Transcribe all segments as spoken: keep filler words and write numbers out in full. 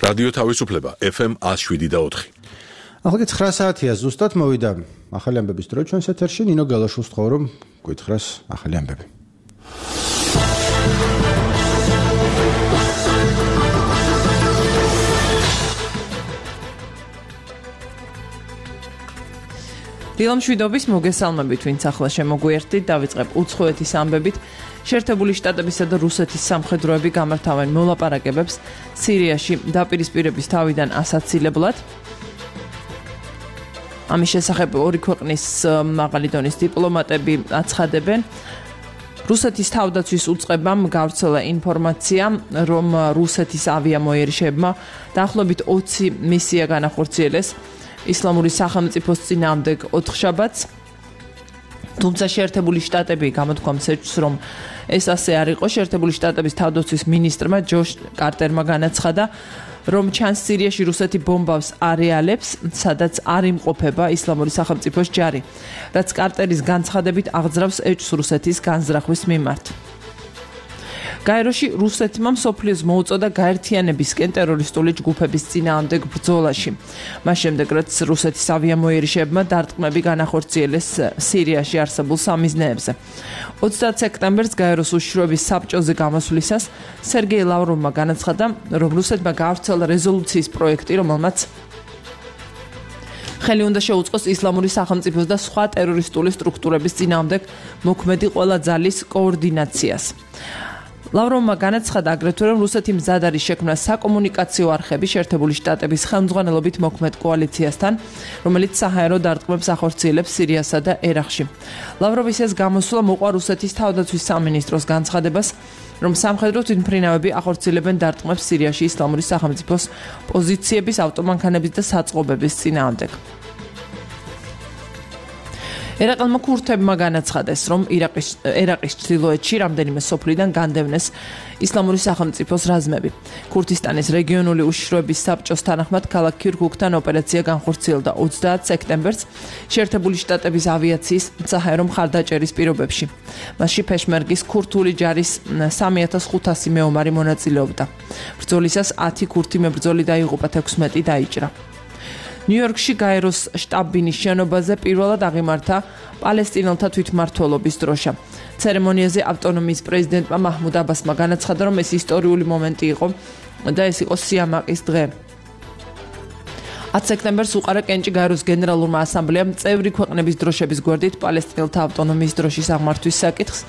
რადიო თავისუფლება F M one oh seven და four. ახლა ცხრა საათია ზუსტად მოვიდა ახალი ამბების დრო ჩვენს ეთერში. ნინო გალაშვილს ვთხოვ რომ გითხრას ახალი ამბები. დილამშვიდობის მოგესალმებით, ვინც ახლა შემოგვიერთდით, დავიწყებ უცხოეთის ამბებით. შეერთებული შტატებისა და რუსეთის სამხედროები გამართავენ მოლაპარაკებებს სირიაში დაპირისპირების თავიდან ასაცილებლად. ამის შესახებ ორი ქვეყნის მაღალი დონის დიპლომატები აცხადებენ. რუსეთის თავდაცვის უწყებამ გავრცელა ინფორმაცია, რომ რუსეთის ავიამოერიშებმა დაახლოებით ოცი მისია განახორციელეს ისლამური სახელმწიფოს წინააღმდეგ ოთხშაბათს. თუმცა შეერთებული შტატები გამოთქვამს ეჭვს, რომ ეს ასე არ იყო. შეერთებული შტატების თავდაცვის მინისტრმა ჯოშ კარტერმა განაცხადა, რომ ჩანს სირიაში რუსეთი ბომბავს არეალებს, სადაც არ იმყოფება ისლამური სახელმწიფოს ჯარი, რაც კარტერის განცხადებით აღძრავს ეჭვს რუსეთის განზრახვის მიმართ. გაეროში რუსეთმა მსოფლიოს მოუწოდა გაერთიანებისკენ ტერორისტული ჯგუფების წინააღმდეგ ბრძოლაში. მას შემდეგ, რაც რუსეთის ავიამოერიშებმა დარტყმები განახორციელეს სირიაში არსებულ სამიზნეებზე. ოცდაათ სექტემბერს გაეროს უშიშროების საბჭოზე გამოსვლისას სერგეი ლავროვმა განაცხადა, რომ რუსეთმა გაავრცელა რეზოლუციის პროექტი, რომელმაც ხელი უნდა შეუწყოს ისლამური სახელმწიფოს და სხვა ტერორისტული სტრუქტურების წინააღმდეგ მოქმედი ყველა ძალის კოორდინაციას. ლავროვმა განაცხადა აგრეთვე, რომ რუსეთი მზად არის შექმნა საკომუნიკაციო არხები შეერთებული შტატების ხელმძღვანელობით მოქმედ კოალიციასთან, რომელიც საჰაერო დარტყმებს ახორციელებს სირიასა და ერაყში. ლავროვის ეს გამოსვლა მოყვა რუსეთის თავდაცვის სამინისტროს განცხადებას, რომ სამხედრო თვითმფრინავები ახორციელებენ დარტყმებს სირიაში ისლამური სახელმწიფოს პოზიციების, ავტომანქანების და საწყობების წინააღმდეგ. ერაყელმა ქურთებმა განაცხადეს, რომ ირაყის ერაყის ჩრდილოეთში რამდენიმე სოფლიდან განდევნეს ისლამური სახელმწიფოს რაზმები. ქურთისტანის რეგიონული უშიშროების საბჭოს თანახმად ქალაქ ქირქუქთან ოპერაცია განხორციელდა ოცდაათ სექტემბერს შეერთებული შტატების ავიაციის საჰაერო მხარდაჭერის პირობებში. მასში ფეშმერგის ქურთული ჯარის სამი ათას ხუთასი მეომარი მონაწილეობდა. ბრძოლისას ათი ქურთი მებრძოლი დაიღუპა, თექვსმეტი დაიჭრა. ნიუ-იორკში გაეროს შტაბ-ბინის შენობაზე პირველად აღიმართა პალესტინელთა თვითმმართველობის დროშა. ცერემონიაზე ავტონომიის პრეზიდენტმა მაჰმუდ აბასმა განაცხადა, რომ ეს ისტორიული მომენტი იყო და ეს იყო სიამაყის დღე. ათი სექტემბერს უყარა კენჭი გაეროს გენერალურმა ასამბლეამ წევრი ქვეყნების დროშების გვერდით პალესტინელთა ავტონომიის დროშის აღმართვის საკითხს.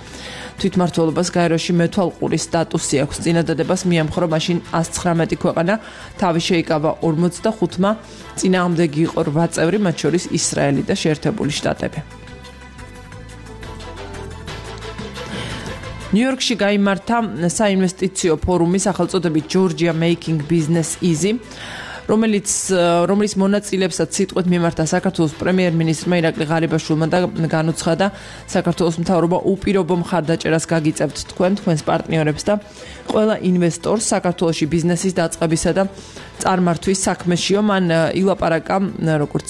თვითმმართველობას გაეროში მეთვალყური სტატუსი აქვს. წინადადებას მიემხრო მაშინ ას ცხრამეტი ქვეყანა, თავი შეიკავა ორმოცდახუთმა, წინააღმდეგი იყო რვა წევრი, მათ შორის ისრაელი და შეერთებული შტატები. ნიუ-იორკში გაიმართა საინვესტიციო ფორუმი სახელწოდებით Georgia Making Business Easy, რომელიც რომლის მონაწილებსაც სიტყვით მიმართა საქართველოს პრემიერ-მინისტრმა ირაკლი ღარიბაშვილმა და განუცხადა, საქართველოს მთავრობა უპირობო მხარდაჭერას გაგიწევთ თქვენ, თქვენს პარტნიორებს და ყველა ინვესტორს საქართველოში ბიზნესის დაწყებისა და წარმართვის საქმეშიო. მან ილაპარაკა, როგორც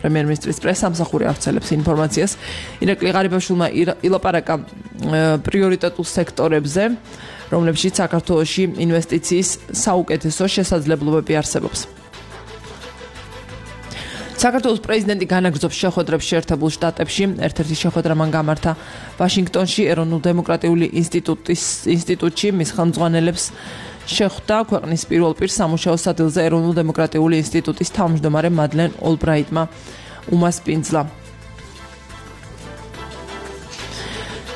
პრემიერ-მინისტრის პრესამსახური ავრცელებს ინფორმაციას, ირაკლი ღარიბაშვილმა ილაპარაკა პრიორიტეტულ სექტორებზე, რომლებშიც საქართველოში ინვესტიციის საუკეთესო შესაძლებლობები არსებობს. საქართველოს პრეზიდენტი განაგრძობს შეხვედრებს შეერთებულ შტატებში. ერთ-ერთი შეხვედრა მან გამართა ვაშინგტონში ეროვნულ დემოკრატიული ინსტიტუტის ინსტიტუტში. მის ხელმძღვანელებს შეხვდა ქვეყნის პირველ პირ სამუშაო სადილზე ეროვნულ დემოკრატიული ინსტიტუტის თავმჯდომარე მადლენ ოლბრაიტმა უმასპინძლა.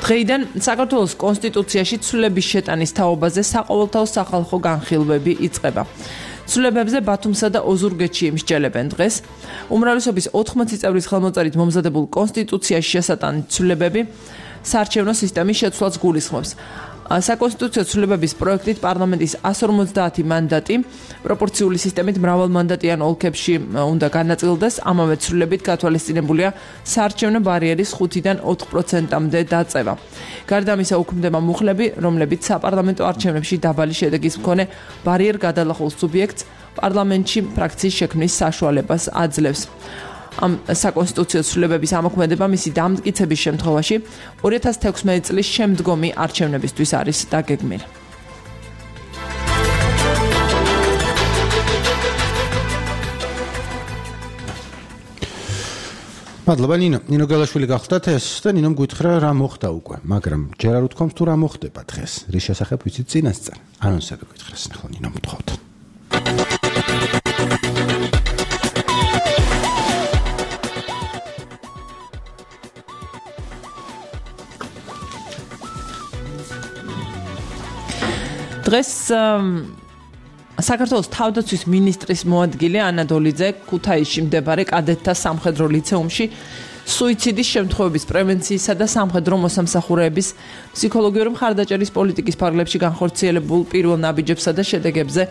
დღეიდან საქართველოს კონსტიტუციაში ცვლილების შეტანის თაობაზე საყოველთაო სახალხო განხილვები იწყება. ცვლილებებზე ბათუმსა და ოზურგეთში იმსჯელებენ დღეს. უმრავლესობის ოთხმოცი წევრის ხელმოწერით მომზადებულ კონსტიტუციაში შესატანილი ცვლილებები საარჩევნო სისტემის შეცვლას გულისხმობს. საკონსტიტუციო ცვლილებების პროექტით პარლამენტის ასი ორმოცდაათი მანდატი პროპორციული სისტემით მრავალმანდატიან ოლქებში უნდა განაწილდეს. ამავე ცვლილებით გათვალისწინებულია საარჩევნო ბარიერის ხუთიდან ოთხ პროცენტამდე დაწევა. გარდა ამისა, უქმდება მუხლები, რომლებიც საპარლამენტო არჩევნებში დაბალი შედეგის მქონე ბარიერ გადალახულ სუბიექტს პარლამენტში ფრაქციის შექმნის საშუალებას აძლევს. ამ საკონსტიტუციო ცვლილებების ამოქმედება მისი დამტკიცების შემთხვევაში ორი ათას თექვსმეტი წლის შემდგომი არჩევნებისთვის არის დაგეგმილი. მადლობა ნინო. ნინო გელაშვილი გახლდათ ეს და ნინომ გითხრა რა მოხდა უკვე, მაგრამ ჯერ არ უთქვამს თუ რა მოხდება დღეს. რის შესახებ ვიცით წინასწარ. ანონსები გითხრას ნახო ნინო მთხოვთ. დღეს საქართველოს თავდაცვის მინისტრის მოადგილე ანა დოლიძე ქუთაისში მდებარე კადეტთა სამხედრო ლიცეუმში სუიციდის შემთხვევების პრევენციისა და სამხედრო მოსამსახურეების ფსიქოლოგიური მხარდაჭერის პოლიტიკის ფარგლებში განხორციელებულ პირველ ნაბიჯებსა და შედეგებზე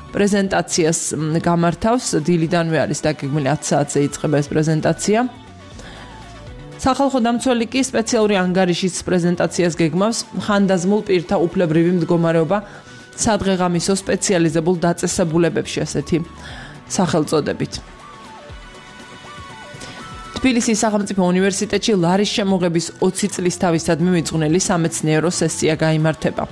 პრეზენტაციას გამართავს. დილიდანვე არის დაგეგმილი ათი საათზე იწყება ეს პრეზენტაცია. სახალხო დამცველი კი სპეციალური ანგარიშის პრეზენტაციას გეგმავს ხანდაზმულ პირთა უფლებრივი მდგომარეობა სადღეღამისო სპეციალიზებულ დაწესებულებებში ასეთი სახელწოდებით. თბილისის სახელმწიფო უნივერსიტეტში ლარის შემოღების ოცი წლის თავისადმი მიძღვნილი სამეცნიერო სესია გაიმართება.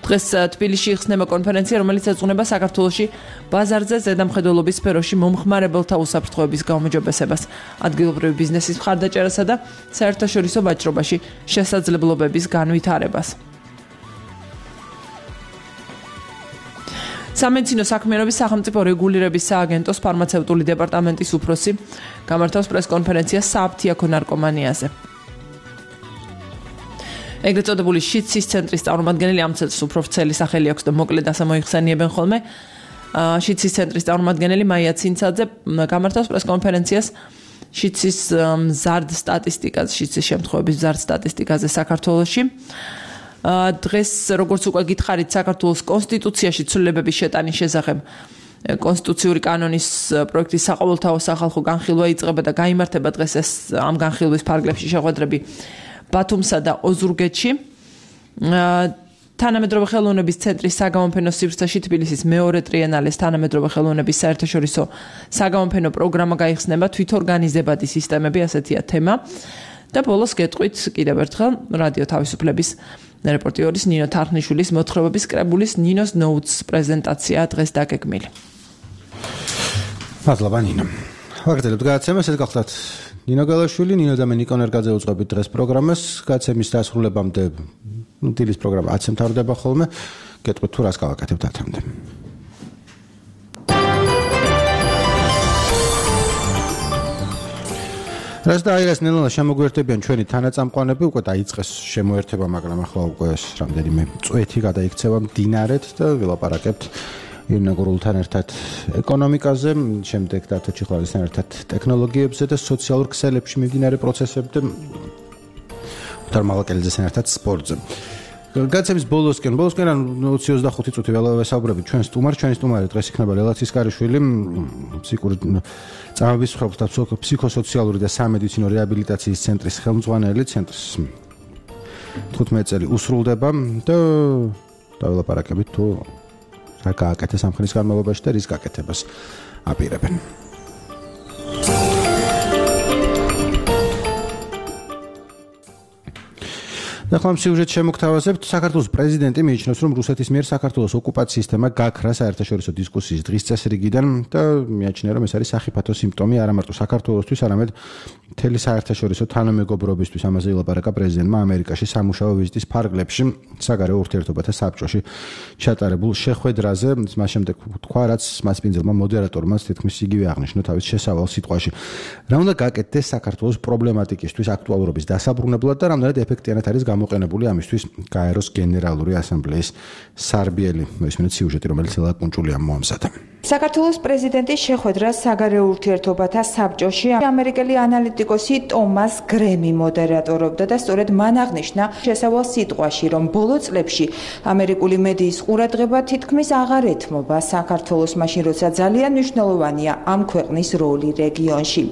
დღეს თბილისში იხსნება კონფერენცია, რომელიც ეძღვნება საქართველოში ბაზარზე ზედამხედველობის სფეროში მომხმარებელთა უსაფრთხოების გაუმჯობესებას, ადგილობრივი ბიზნესის მხარდაჭერასა და საერთაშორისო ვაჭრობაში შესაძლებლობების განვითარებას. სამედიცინო საქმიანობის სახელმწიფო რეგულირების სააგენტოს ფარმაცევტული დეპარტამენტის უფროსი გამართავს პრესკონფერენციას სააფთიაქო ნარკომანიაზე. ეგრეთ წოდებული შიცის ცენტრის წარმომადგენელი ამ წელს უფრო ვრცელი სახელი აქვს და მოკლედ ასე მოიხსენიებენ ხოლმე. შიცის ცენტრის წარმომადგენელი მაია ცინცაძე გამართავს პრესკონფერენციას შიცის მზარდ სტატისტიკაზე, შიცის შემთხვევების მზარდ სტატისტიკაზე საქართველოში. დღეს როგორც უკვე გითხარით, საქართველოს კონსტიტუციაში ცვლილებების შეტანის შესახებ კონსტიტუციური კანონის პროექტის საყოველთაო სახალხო განხილვა იწყება და გაიმართება დღეს ეს ამ განხილვის ფარგლებში შეხვედრები ბათუმსა და ოზურგეთში. თანამედროვე ხელოვნების ცენტრის საგამოფენო სივრცეში თბილისის მეორე ტრიენალეს თანამედროვე ხელოვნების საერთაშორისო საგამოფენო პროგრამა გაიხსნება, თვითორგანიზებადი სისტემები, ასეთია თემა. და ბოლოს გეტყვით კიდევ ერთხელ რადიო თავისუფლების რეპორტიორის ნინო თარხნიშვილის მოთხრობების კრებულის ნინოს ნოუთს პრეზენტაცია დღეს დაგეგმილი. მადლობა ნინო. ვაგრძელებთ გადაცემას, ეს გახლდათ ნინო გელაშვილი, ნინო და მე ნიკონ ერგაძე უძღვებით დღეს პროგრამას. გადაცემის დასრულებამდე ნუ დილის პროგრამა ათზე მთავრდება ხოლმე. გეტყვით თუ რას გავაკეთებთ ათამდე. რას და აირას ნელ-ნელა შემოგვერთებიან ჩვენი თანაწამყვანები, უკვე დაიწყეს შემოერთება, მაგრამ ახლა უკვე ეს რამდენიმე წვეთი გადაიქცევა მდინარეთ და ვილაპარაკებთ ირინა გურულთან ერთად ეკონომიკაზე, შემდეგ დათო ჩიხლარისთან ერთად ტექნოლოგიებზე და სოციალურ ქსელებში მიმდინარე პროცესებზე, უთარ მალაკელიძესთან ერთად სპორტზე. გადაცემის ბოლოსკენ, ბოლოსკენ ოცი ოცდახუთი წუთი ველავესაუბრებით ჩვენ სტუმარ, ჩვენი სტუმარი დღეს იქნება ლელა ცისკარიშვილი, ფსიქური წამების მსხვერპლთა ფსიქოსოციალური და სამედიცინო რეაბილიტაციის ცენტრის ხელმძღვანელი, ცენტრის თხუთმეტი წელი უსრულდება და დაველაპარაკებით თუ რა გააკეთეს ამ ხნის განმავლობაში და რის გაკეთებას აპირებენ. ახლა სიუჟეტ შემოგთავაზებთ. საქართველოს პრეზიდენტი მიიჩნევს, რომ რუსეთის მიერ საქართველოს ოკუპაციის თემა გაქრა საერთაშორისო დისკუსიის დღის წესრიგიდან და მიაჩნია, რომ ეს არის სახიფათო სიმპტომი არა მარტო საქართველოსთვის, არამედ მთელი საერთაშორისო თანამეგობრობისთვის. ამაზე ილაპარაკა პრეზიდენტმა ამერიკაში სამუშაო ვიზიტის ფარგლებში, საგარეო ურთიერთობათა საბჭოში ჩატარებულ შეხვედრაზე. მას შემდეგ თქვა, რაც მასპინძელმა მოდერატორმა თითქმის იგივე აღნიშნა თავის შესავალ სიტყვაში. რა უნდა გაკეთდეს საქართველოს პრობლემატიკისთვის აქტუალურობის დასაბრუნებლად და რამდენად ეფექტიანად არის გამოყენებული ამისთვის გაეროს გენერალური ასამბლეის სარბიელი. მოისმინეთ სიუჟეტი, რომელიც ელა კუნჭულია მოამზადა. საქართველოს პრეზიდენტის შეხვედრა საგარეო ურთიერთობათა საბჭოში ამერიკელი ანალიტიკოსი ტომას გრემი მოდერატორობდა და სწორედ მან აღნიშნა შესავალ სიტყვაში, რომ ბოლო წლებში ამერიკული მედიის ყურადღება თითქმის აღარ ეთმობა საქართველოს მაშინ, როცა ძალიან მნიშვნელოვანია ამ ქვეყნის როლი რეგიონში.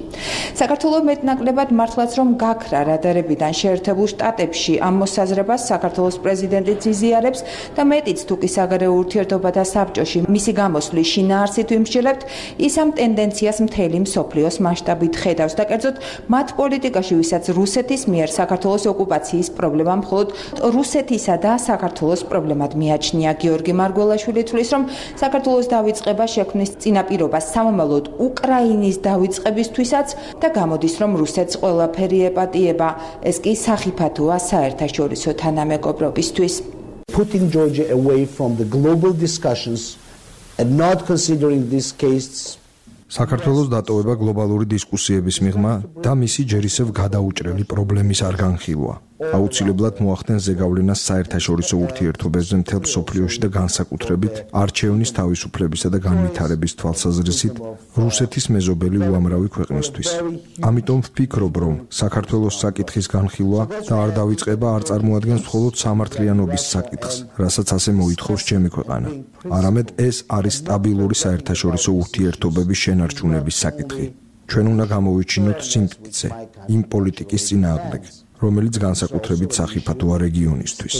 საქართველოს მეტნაკლებად მართლაც რომ გაქრა რადარებიდან შეერთებულ შტატებში ამ მოსაზრებას საქართველოს პრეზიდენტიც იზიარებს და მეტიც თუ კი საგარეო ურთიერთობათა საბჭოში მისი გამოსვლის შინაარსით ვიმსჯელებთ, ის ამ ტენდენციას მთელი მსოფლიოს მასშტაბით ხედავს და კერძოდ მათ პოლიტიკაში, ვისაც რუსეთის მიერ საქართველოს ოკუპაციის პრობლემა მხოლოდ რუსეთისა და საქართველოს პრობლემად მიაჩნია. გიორგი მარგველაშვილი თვლის, რომ საქართველოს დავიწყება შექმნის წინაპირობას სამომავლოდ უკრაინის დავიწყებისთვისაც და გამოდის, რომ რუსეთს ყველაფერი ეპატიება. ეს კი სახიფათოა საერთაშორისო თანამეგობრობისთვის. Putting Georgia away from the global discussions and not considering these cases საქართველოს დატოვება გლობალური დისკუსიების მიღმა და მისი ჯერ ისევ გადაუჭრელი პრობლემის არ განხილვა. აუცილებლად მოახდენს ზეგავლენას საერთაშორისო ურთიერთობებზე მთელ მსოფლიოში და განსაკუთრებით არჩევნის თავისუფლებისა და განვითარების თვალსაზრისით რუსეთის მეზობელი უამრავი ქვეყნისთვის. ამიტომ ვფიქრობ, რომ საქართველოს საკითხის განხილვა და არ დავიწყება არ წარმოადგენს მხოლოდ სამართლიანობის საკითხს, რასაც ასე მოითხოვს ჩემი ქვეყანა. არამედ ეს არის სტაბილური საერთაშორისო ურთიერთობების შენარჩუნების საკითხი. ჩვენ უნდა გამოვიჩინოთ სიმტკიცე იმ პოლიტიკის წინააღმდეგ, რომელიც განსაკუთრებით სახიფათოა რეგიონისთვის.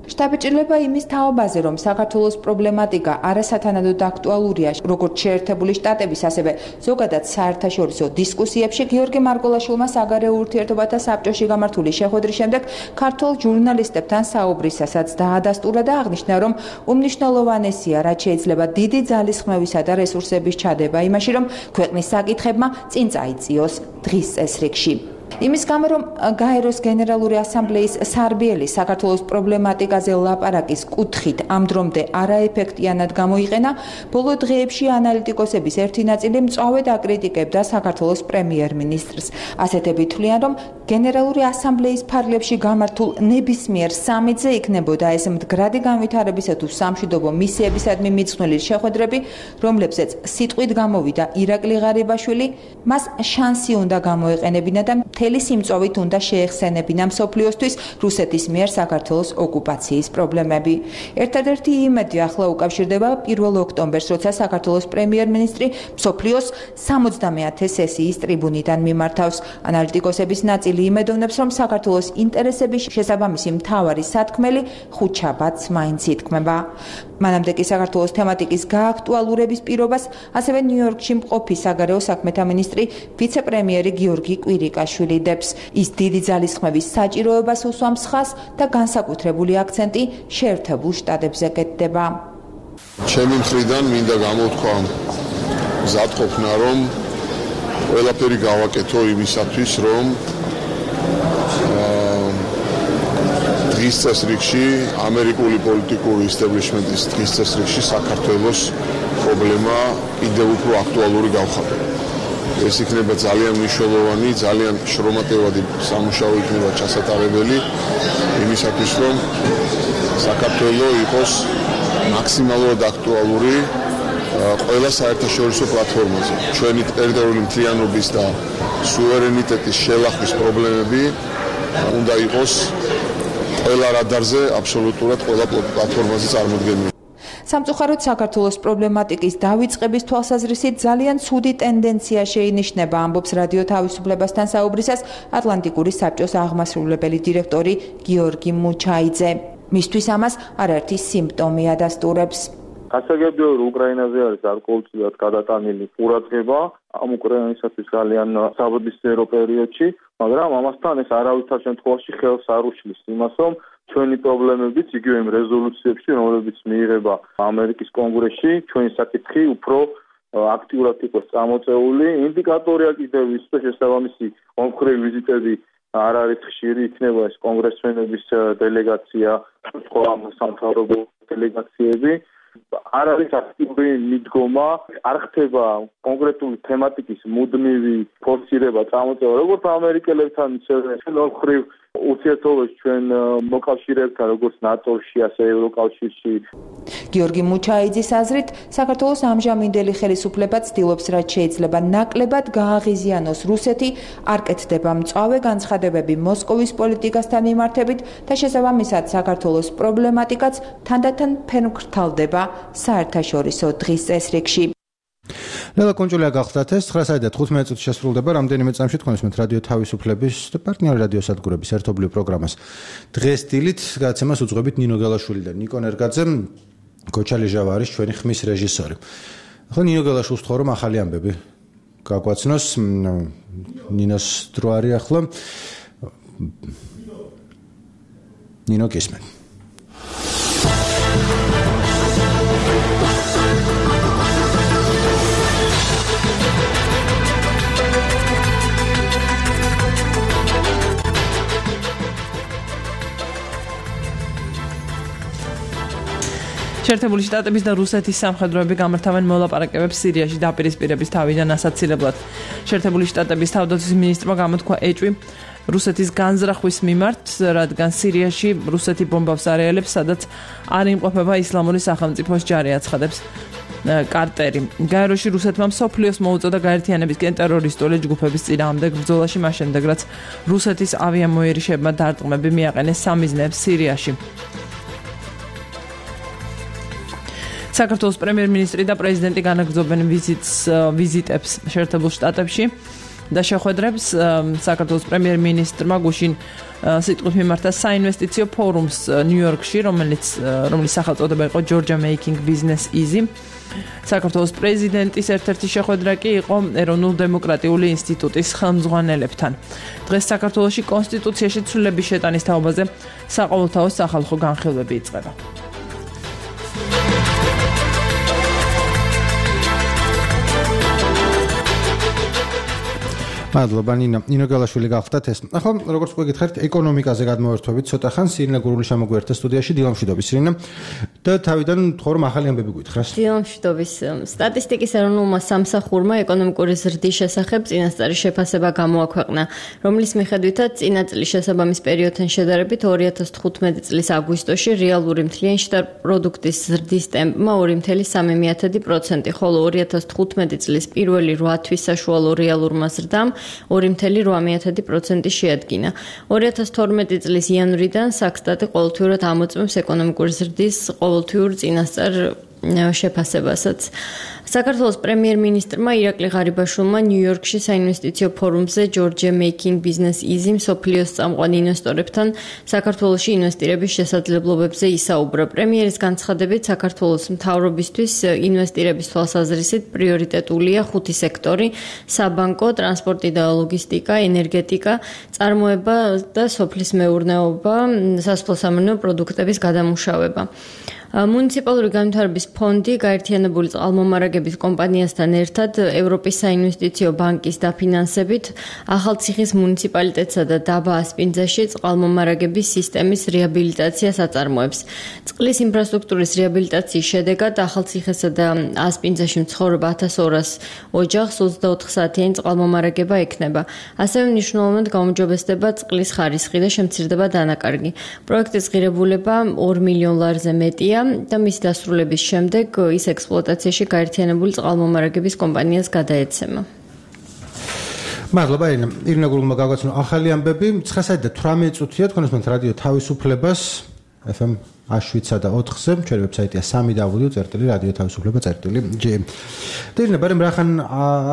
შტაბ-ჭრილება იმის თაობაზე, რომ საქართველოს პრობლემატიკა არასათანადოდ აქტუალურია როგორც შეერთებული შტატების, ასევე ზოგადად საერთაშორისო დისკუსიებში, გიორგი მარგველაშვილმა საგარეო ურთიერთობათა საბჭოში გამართული შეხვედრის შემდეგ ქართულ ჟურნალისტებთან საუბრისასაც დაადასტურა და აღნიშნა, რომ უმნიშვნელოვანესია, რაც შეიძლება დიდი ძალისხმევისა და რესურსების ჩადება იმაში, რომ ქვეყნის საკითხებმა წინ წაიწიოს დღის წესრიგში. იმის გამო, რომ გაეროს გენერალური ასამბლეის სარბიელი საქართველოს პრობლემატიკაზე ლაპარაკის კუთხით ამ დრომდე არაეფექტიანად გამოიყენა, ბოლო დღეებში ანალიტიკოსების ერთი ნაწილი მწვავედ აკრიტიკებდა საქართველოს პრემიერ-მინისტრს. ასეთები თვლიან, რომ გენერალური ასამბლეის ფარგლებში გამართულ ნებისმიერ სამიტზე იქნებოდა ეს მდგრადი განვითარებისა თუ სამშვიდობო მისიებისადმი მიძღვნილი შეხვედრები, რომლებზეც სიტყვით გამოვიდა ირაკლი ღარიბაშვილი, მას შანსი უნდა გამოეყენებინა და მთელი სიმწვავით უნდა შეეხსენებინა მსოფლიოსთვის რუსეთის მიერ საქართველოს ოკუპაციის პრობლემები. ერთადერთი იმედი ახლა უკავშირდება პირველ ოქტომბერს, როცა საქართველოს პრემიერ-მინისტრი მსოფლიოს სამოცდამეათე სესიის ტრიბუნიდან მიმართავს. ანალიტიკოსების ნაწილი იმედოვნებს, რომ საქართველოს ინტერესების შესაბამისი მთავარი სათქმელი ხუთშაბათს მაინც ითქმება. მანამდე კი საქართველოს თემატიკის გააქტუალურების პირობას ასევე ნიუ-იორკში მყოფი საგარეო საქმეთა მინისტრი ვიცე-პრემიერი გიორგი კვირიკაშვილი დებს. ის დიდი ძალისხმევის საჭიროებას უსვამს ხაზს და განსაკუთრებული აქცენტი შეერთებულ შტატებზე კეთდება. ჩემი მხრიდან მინდა გამოთქვა მზადყოფნა, რომ ყველაფერი გავაკეთო იმისათვის, რომ დღის წესრიგში ამერიკული პოლიტიკური ისტაბლიშმენტის დღის წესრიგში საქართველოს პრობლემა კიდევ უფრო აქტუალური გავხადო. ეს იქნება ძალიან მნიშვნელოვანი, ძალიან შრომატევადი სამუშაო იქნება ჩასატარებელი იმისათვის, რომ საქართველო იყოს მაქსიმალურად აქტუალური ყველა საერთაშორისო პლატფორმაზე. ჩვენი ტერიტორიული მთლიანობის და სუვერენიტეტის შელახვის პრობლემები უნდა იყოს ყველა რადარზე, აბსოლუტურად ყველა პლატფორმაზე წარმოდგენილი. სამწუხაროდ საქართველოს პრობლემატიკის დავიწყების თვალსაზრისით ძალიან ცუდი ტენდენცია შეინიშნება, ამბობს რადიო თავისუფლებასთან საუბრისას ატლანტიკური საბჭოს აღმასრულებელი დირექტორი გიორგი მუჩაიძე. მისთვის ამას არაერთი სიმპტომი ადასტურებს. გასაგებია, რომ უკრაინაზე არის გარკვეულწილად გადატანილი ყურადღება ამ უკრაინისათვის ძალიან საბრძოლო პერიოდში, მაგრამ ამასთან ეს არავითარ შემთხვევაში ხელს არ უშლის იმას, რომ ჩვენი პრობლემებიც იგივე იმ რეზოლუციებში, რომლებიც მიიღება ამერიკის კონგრესში, ჩვენი საკითხი უფრო აქტიურად იყოს წამოწეული. ინდიკატორია კიდევ ის, რომ შესაბამისი ომხრივი ვიზიტები არ არის ხშირი, იქნება ეს კონგრესმენების დელეგაცია, სხვა სამთავრობო დელეგაციები. არ არის აქტიური მიდგომა, არ ხდება კონკრეტული თემატიკის მუდმივი ფორსირება წამოწევა, როგორც ამერიკელებთან, ისევე ომხრივ ურთიერთობებში ჩვენ მოკავშირეებთან, როგორც ნატოში, ასე ევროკავშირში. გიორგი მუჩაიძის აზრით, საქართველოს ამჟამინდელი ხელისუფლება ცდილობს, რაც შეიძლება ნაკლებად გააღიზიანოს რუსეთი, არ კეთდება მწვავე განცხადებები მოსკოვის პოლიტიკასთან მიმართებით და შესაბამისად საქართველოს პრობლემატიკაც თანდათან ფერმკრთალდება საერთაშორისო დღის წესრიგში. ლელა კონჭულია გახლდათ ეს ცხრა საათი და თხუთმეტი წუთი შესრულდება რამდენიმე წამში თქვენ ისმენთ რადიო თავისუფლების და პარტნიორი რადიო სადგურების ერთობლივ პროგრამას დღეს დილით გადაცემას უძღვებით ნინო გელაშვილი და ნიკო ნერგაძე გოჩალი ჟავა არის ჩვენი ხმის რეჟისორი. ახლა ნინო გელაშვილს ვთხოვ რომ ახალი ამბები გაგვაცნოს ნინოს დრო არის ახლა ნინო გისმენ შეერთებული შტატების და რუსეთის სამხედროები გამართავენ მოლაპარაკებებს სირიაში დაპირისპირების თავიდან ასაცილებლად. შეერთებული შტატების თავდაცვის მინისტრმა გამოთქვა ეჭვი რუსეთის განზრახვის მიმართ, რადგან სირიაში რუსეთი ბომბავს არეალებს, სადაც არ იმყოფება ისლამური სახელმწიფოს ჯარი, აცხადებს კარტერი. გაეროში რუსეთმა მსოფლიოს მოუწოდა გაერთიანებისკენ ტერორისტული ჯგუფების წინააღმდეგ ბრძოლაში, მას შემდეგ რაც რუსეთის ავიამოერიშებმა დარტყმები მიაყენეს სამიზნეებს სირიაში. საქართველოს პრემიერ-მინისტრი და პრეზიდენტი განაგრძობენ ვიზიტს ვიზიტებს შეერთებულ შტატებში და შეხვედრებს საქართველოს პრემიერ-მინისტრმა გუშინ სიტყვით მიმართა საინვესტიციო ფორუმს ნიუ-იორკში, რომელიც რომლის სახელწოდება იყო Georgia Making Business Easy. საქართველოს პრეზიდენტის ერთ-ერთი შეხვედრა კი იყო ეროვნულ-დემოკრატიული ინსტიტუტის ხელმძღვანელებთან. დღეს საქართველოში კონსტიტუციაში ცვლილების შეტანის თაობაზე საყოველთაო სახალხო განხილვები იწყება. მადლობა ნინო. ნინო გელაშვილი გახლდათ ეს. ახლა როგორც გეკითხეთ, ეკონომიკაზე გადმოვერთვებით ცოტა ხანს ირინა გურული შემოგვიერთდა სტუდიაში დილამშვიდობის ირინა და თავიდან თქო რომ ახალი ამბები გითხრას. დილამშვიდობის სტატისტიკის ეროვნულმა სამსახურმა ეკონომიკური ზრდის შესახებ წინასწარი შეფასება გამოაქვეყნა, რომლის მიხედვითაც წინა წლის შესაბამის პერიოდთან შედარებით ორი ათას თხუთმეტი წლის აგვისტოში რეალური მთლიანი შტატ პროდუქტის ზრდის ტემპმა ორი კoma სამი პროცენტი, ხოლო ორი ათას თხუთმეტი წლის პირველი რვა თვის საშუალო რეალურმა ზრდამ ორი კoma ორი პროცენტი შეადგინა. ორი ათას თორმეტი წლის იანვრიდან საქსტატი ყოველთვიურად ამოწმებს ეკონომიკური ზრდის ყოველთვიურ წინასწარ შეფასებასაც. საქართველოს პრემიერ-მინისტრმა ირაკლი ღარიბაშვილმა ნიუ-იორკში საინვესტიციო ფორუმზე Georgia Making Business Easy მსოფლიოს წამყვან ინვესტორებთან საქართველოში ინვესტირების შესაძლებლობებზე ისაუბრა. პრემიერის განცხადებით, საქართველოს მთავრობისთვის ინვესტირების თვალსაზრისით პრიორიტეტულია ხუთი სექტორი: საბანკო, ტრანსპორტი და ლოგისტიკა, ენერგეტიკა, წარმოება და სოფლის მეურნეობა, სასოფლო-სამეურნეო პროდუქტების გადამუშავება. მუნიციპალური განვითარების ფონდი გაერთიანებული წყალმომარაგების კომპანიასთან ერთად ევროპის საინვესტიციო ბანკის დაფინანსებით ახალციხის მუნიციპალიტეტსა და დაბა ასპინძაში წყალმომარაგების სისტემის რეაბილიტაციას აწარმოებს. წყლის ინფრასტრუქტურის რეაბილიტაციის შედეგად ახალციხესა და ასპინძაში მცხოვრებ ათას ორას ოჯახს ოცდაოთხ საათიანი წყალმომარაგება ექნება. ასევე მნიშვნელოვნად გაუმჯობესდება წყლის ხარისხი და შემცირდება დანაკარგი. პროექტის ღირებულება ორ მილიონ ლარზე მეტია და მის დასრულების შემდეგ ის ექსპლუატაციაში გაერთიანებული წყალმომარაგების კომპანიას გადაეცემა. მადლობა ირინა. ირინა გურულმა გაგვაცნო ახალი ამბები. ცხრა საათი და თვრამეტი წუთია თქვენ ისმენთ რადიო თავისუფლებას ეფ ემ შვიდსა და ოთხზე, ჩვენი ვებსაიტია სამი დაბლიუ წერტილი რადიო თავისუფლება წერტილი ჯი. და ირინა, ბარემ რახან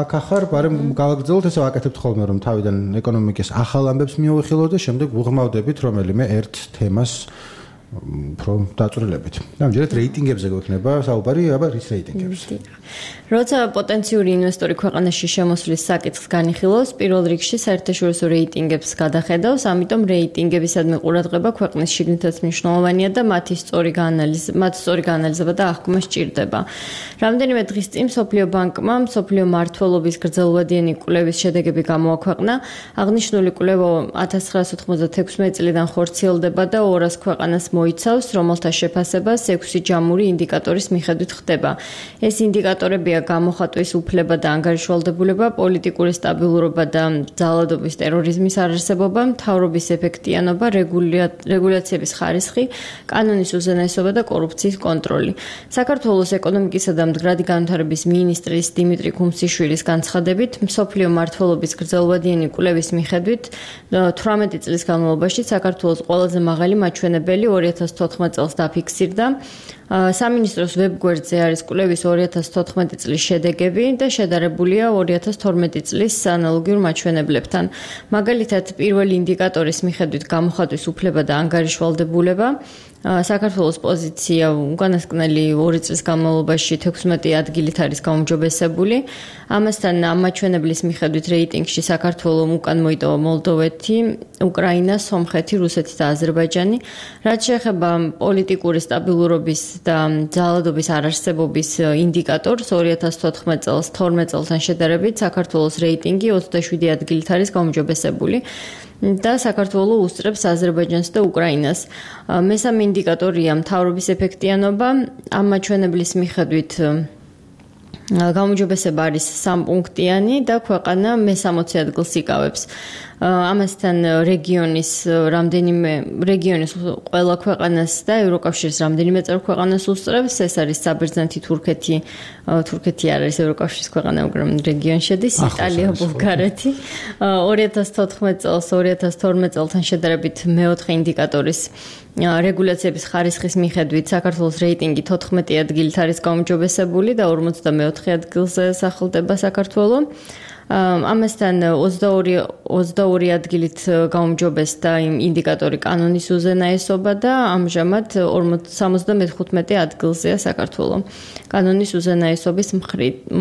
აქ ახარ, ბარემ გავაგრძელოთ, ესე ვაკეთებთ ხოლმე რომ თავიდან ეკონომიკის ახალ ამბებს მივიხილოთ და შემდეგ ვუღმავდებით რომელიმე ერთ თემას უფრო დაწვრილებით. ამჯერად რეიტინგებზე გვექნება საუბარი, აბა რის რეიტინგებზე? როცა პოტენციური ინვესტორი ქვეყანაში შემოსვლის საკითხს განიხილავს, პირველ რიგში საერთაშორისო რეიტინგებს გადახედავს, ამიტომ რეიტინგებისადმი ყურადღება ქვეყნის შიგნითაც მნიშვნელოვანია და მათი სწორი გაანალიზება, მათ სწორი გაანალიზება და აღქმა სჭირდება. რამდენიმე დღის წინ მსოფლიო ბანკმა მსოფლიო მმართველობის გრძელვადიანი კვლევის შედეგები გამოაქვეყნა. აღნიშნული კვლევა ათას ცხრაასი ოთხმოცდათექვსმეტი წლიდან ხორციელდება და ორას ქვეყანას მოიცავს, რომელთა შეფასებას ექვსი ჯამური ინდიკატორის მიხედვით ხდება. ეს ინდიკატორებია გამოხატვის უფლება და ანგარიშვალდებულება, პოლიტიკური სტაბილურობა და ძალადობის ტერორიზმის არარსებობა, მთავრობის ეფექტიანობა, რეგულაციების ხარისხი, კანონის უზენაესობა და კორუფციის კონტროლი. საქართველოს ეკონომიკისა და მდგრადი განვითარების მინისტრის დიმიტრი ქუმსიშვილის განცხადებით, მსოფლიო მმართველობის გრძელვადიანი კვლევის მიხედვით თვრამეტი წლის განმავლობაში საქართველოს ყველაზე მაღალი მაჩვენებელი ორი ორი ათას თოთხმეტ წელს დაფიქსირდა. სამინისტროს ვებგვერდზე არის კვლევის ორი ათას თოთხმეტი წლის შედეგები და შედარებულია ორი ათას თორმეტი წლის ანალოგიურ მაჩვენებლებთან. მაგალითად, პირველი ინდიკატორის მიხედვით გამოხატვის უფლება და ანგარიშვალდებულება საქართველოს პოზიცია უკანასკნელი ორი წლის განმავლობაში თექვსმეტი ადგილით არის გაუმჯობესებული. ამასთან ამ მაჩვენებლის მიხედვით რეიტინგში საქართველოს უკან მოიტოვა მოლდოვეთი, უკრაინა, სომხეთი, რუსეთი და აზერბაიჯანი. რაც შეეხება პოლიტიკური სტაბილურობის და ძალადობის არარსებობის ინდიკატორს ორი ათას თოთხმეტ წელს თორმეტ წელთან შედარებით საქართველოს რეიტინგი ოცდაშვიდი ადგილით არის გაუმჯობესებული. და საქართველოს უსწრებს აზერბაიჯანს და უკრაინას. მესამე ინდიკატორია მთავრობის ეფექტიანობა. ამ მაჩვენებლის მიხედვით გაუმჯობესება არის სამპუნქტიანი და ქვეყანა მესამოცი ადგილს იკავებს. ამასთან რეგიონის რამდენიმე რეგიონის ყველა ქვეყანას და ევროკავშირის რამდენიმე წევრ ქვეყანას უსწრებს. ეს არის საბერძნეთი, თურქეთი, თურქეთი არ არის ევროკავშირის ქვეყანა, მაგრამ რეგიონში შედის, იტალია, ბულგარეთი. ორი ათას თოთხმეტ წელს ორი ათას თორმეტ წელთან შედარებით მეოთხე ინდიკატორის რეგულაციების ხარისხის მიხედვით საქართველოს რეიტინგი თოთხმეტი ადგილით არის გაუმჯობესებული და ორმოცდამეოთხე ადგილზე სახლდება საქართველოს. ამასთან ოცდაორი ადგილით გაუმჯობესდა იმ ინდიკატორი კანონის უზენაესობა და ამჟამად სამოცდამეხუთმეტე ადგილზეა საქართველოს კანონის უზენაესობის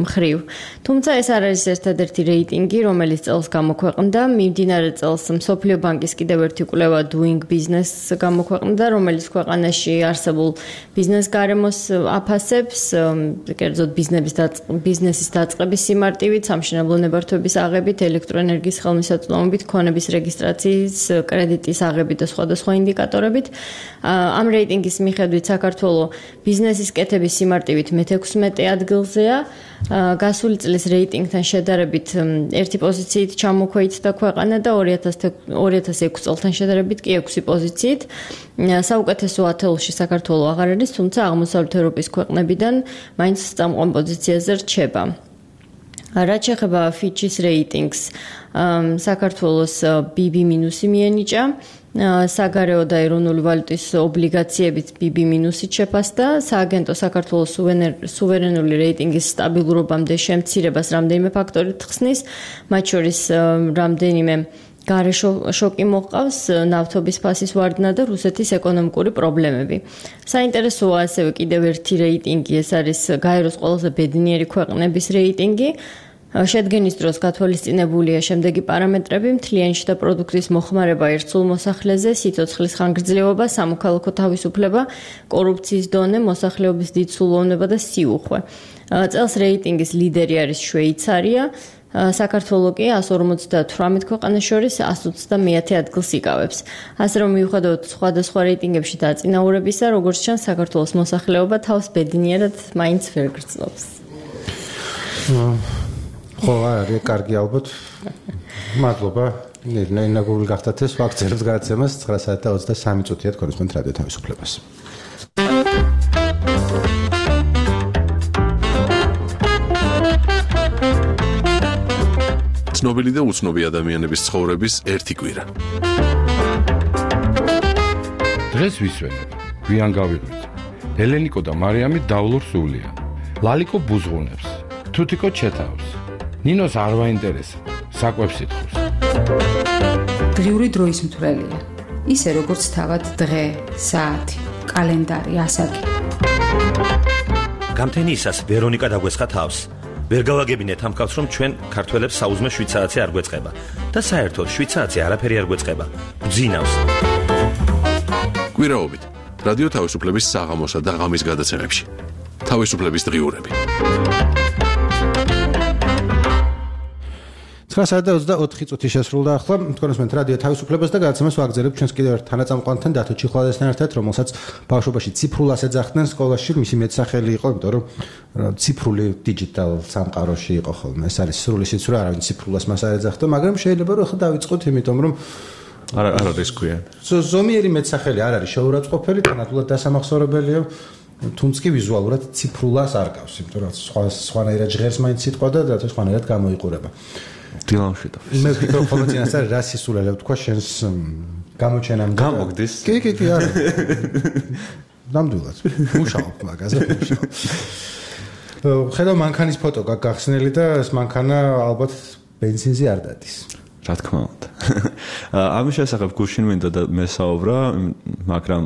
მხრივ. თუმცა ეს არ არის ერთადერთი რეიტინგი, რომელიც წელს გამოქვეყნდა. მიმდინარე წელს მსოფლიო ბანკის კიდევ ერთი კვლევა Doing Business გამოქვეყნდა, რომელიც ქვეყანაში არსებულ ბიზნეს გარემოს აფასებს, კერძოდ ბიზნესის დაწყების სიმარტივით, სამშენებლო ნებართვების აღებით, ელექტროენერგიის ხელმისაწვდომობით, ქონების რეგისტრაციის, კრედიტის აღებით და სხვადასხვა ინდიკატორებით. ამ რეიტინგის მიხედვით საქართველოს ბიზნესის კეთების სიმარტივით მეთექვსმეტე ადგილზეა. გასული წლის რეიტინგთან შედარებით ერთი პოზიციით ჩამოქვეითდა ქვეყანა და ორი ათას ექვსი წელთან შედარებით კი ექვსი პოზიციით. საუკეთესო ათეულში საქართველოს აღარ არის, თუმცა აღმოსავლეთ ევროპის ქვეყნებიდან მაინც წამყვან პოზიციაზე რჩება. რაც შეეხება Fitch-ის რეიტინგს, საქართველოს ბი ბი მინუსი მიენიჭა, საგარეო და ეროვნული ვალუტის ობლიგაციებით ბი ბი მინუსით შეფასდა, სააგენტო საქართველოს სუვერენული რეიტინგის სტაბილურობამდე შემცირებას რამდენიმე ფაქტორით ხსნის, მათ შორის რამდენიმე გარე შოკი მოჰყავს, ნავთობის ფასის ვარდნა და რუსეთის ეკონომიკური პრობლემები. საინტერესოა ასევე კიდევ ერთი რეიტინგი, ეს არის გაეროს ყველაზე ბედნიერი ქვეყნების რეიტინგი. შედგენის დროს გათვალისწინებულია შემდეგი პარამეტრები: მთლიანი შიდა პროდუქტის მოხმარება ერთ სულ მოსახლეზე, სიცოცხლის ხანგრძლივობა, სამოქალაქო თავისუფლება, კორუფციის დონე, მოსახლეობის დიდსულოვნება და სიუხვე. წელს რეიტინგის ლიდერი არის შვეიცარია. საქართველოს კი εκατს ორმოცდათვრამეტ ქვეყანას შორის εκατს ოცდამეათე ადგილს იკავებს. ასე რომ მიუხედავად სხვადასხვა რეიტინგებში დაწინაურებისა, როგორც ჩანს, საქართველოს მოსახლეობა თავს ბედნიერად მაინც ვერ გრძნობს. ხო, არის კარგი ალბათ. მადლობა. ნენა გული გახდათ ეს ვაქცინებს გადაცემას ცხრა საათი და ოცდასამი წუთია თქვენს რადიო თავისუფლებას. ცნობილი და უცნობი ადამიანების ცხოვრების ერთი კვირა. დღეს ვისვენებ, გვიან გავიღვიძე. ელენიკო და მარიამი დავლურ სულიან. ლალიკო ბუზღუნებს, თუთიკო ჩეთავს. ნინოს არ ვაინტერესა, საკვებს ითხოვს. დღიური დროის მთვრელია. ისე როგორც თავად დღე, საათი, კალენდარი, ასაკი. გამთენიისას ვერონიკა დაგვესხა თავს. ვერ გავაგებინეთ ამ კაცს, რომ ჩვენ ქართველებს საუზმე შვიდ საათზე არ გვეწყება და საერთოდ შვიდ საათზე არაფერი არ გვეწყება. გძინავს. კვირაობით რადიო თავისუფლების საღამოსა და ღამის გადაცემებში. თავისუფლების დღიურები. ცხრა საათი და ოცდაოთხი წუთი შესრულდა ახლა. თქვენ უსმენთ რადიო თავისუფლებას და გადაცემას ვაგრძელებთ ჩვენს კიდევ ერთ თანაწამყვანთან დათო ჩიხვალესთან ერთად, რომელსაც ბავშვობაში ციფრულას ეძახდნენ სკოლაში. მისი მეტსახელი იყო, იმიტომ რომ ციფრული digital სამყაროში იყო ხოლმე. ეს არის სრული სიცრუე, არავინ ციფრულას მას არ ეძახდა, მაგრამ შეიძლება რომ ახლა დავიწყოთ, იმიტომ რომ არ არ არის ქვია. ზომიერი მეტსახელი არ არის შეურაცხყოფელი, თანატულად დასამახსოვრებელია. თუმცა კი ვიზუალურად ციფრულას არ გავს, იმიტომ რომ სხვა სხვანაირად ჟღერს მაინც სიტყვა და და სხვანაირად გამოიყურება. დილამში და მე ვფიქრობ, რომ წინასწარ რა სისულელე ვთქვა შენს გამოჩენამდე. გამოგდის. კი, კი, კი, არა. ნამდვილად. მუშაობ მაგაზე, მუშაობ. ხედავ მანქანის ფოტო გახსნელი და ეს მანქანა ალბათ ბენზინზე არ დადის. რა თქმა უნდა. ამის შესახებ გუშინ მინდა და მესაუბრა, მაგრამ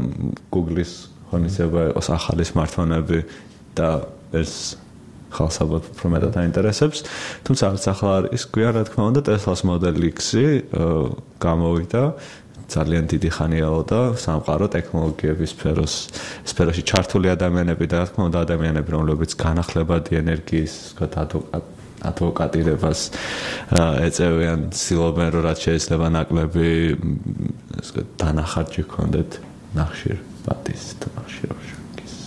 Google-ის ღონისძიება იყოს ახალი smartphone-ები და ეს ხალხს ალბათ უფრო მეტად აინტერესებს. თუმცა არც ახლა არის გვიან, რა თქმა უნდა, Tesla-ს Model X-ი გამოვიდა. ძალიან დიდი ხანიაო და სამყარო ტექნოლოგიების სფეროს სფეროში ჩართული ადამიანები და რა თქმა უნდა ადამიანები, რომლებიც განახლებადი ენერგიის, ვთქვათ, ადვოკატირებას ეწევიან, ცდილობენ, რომ რაც შეიძლება ნაკლები დანახარჯი ჰქონდეთ ნახშირბატის და ნახშირობის.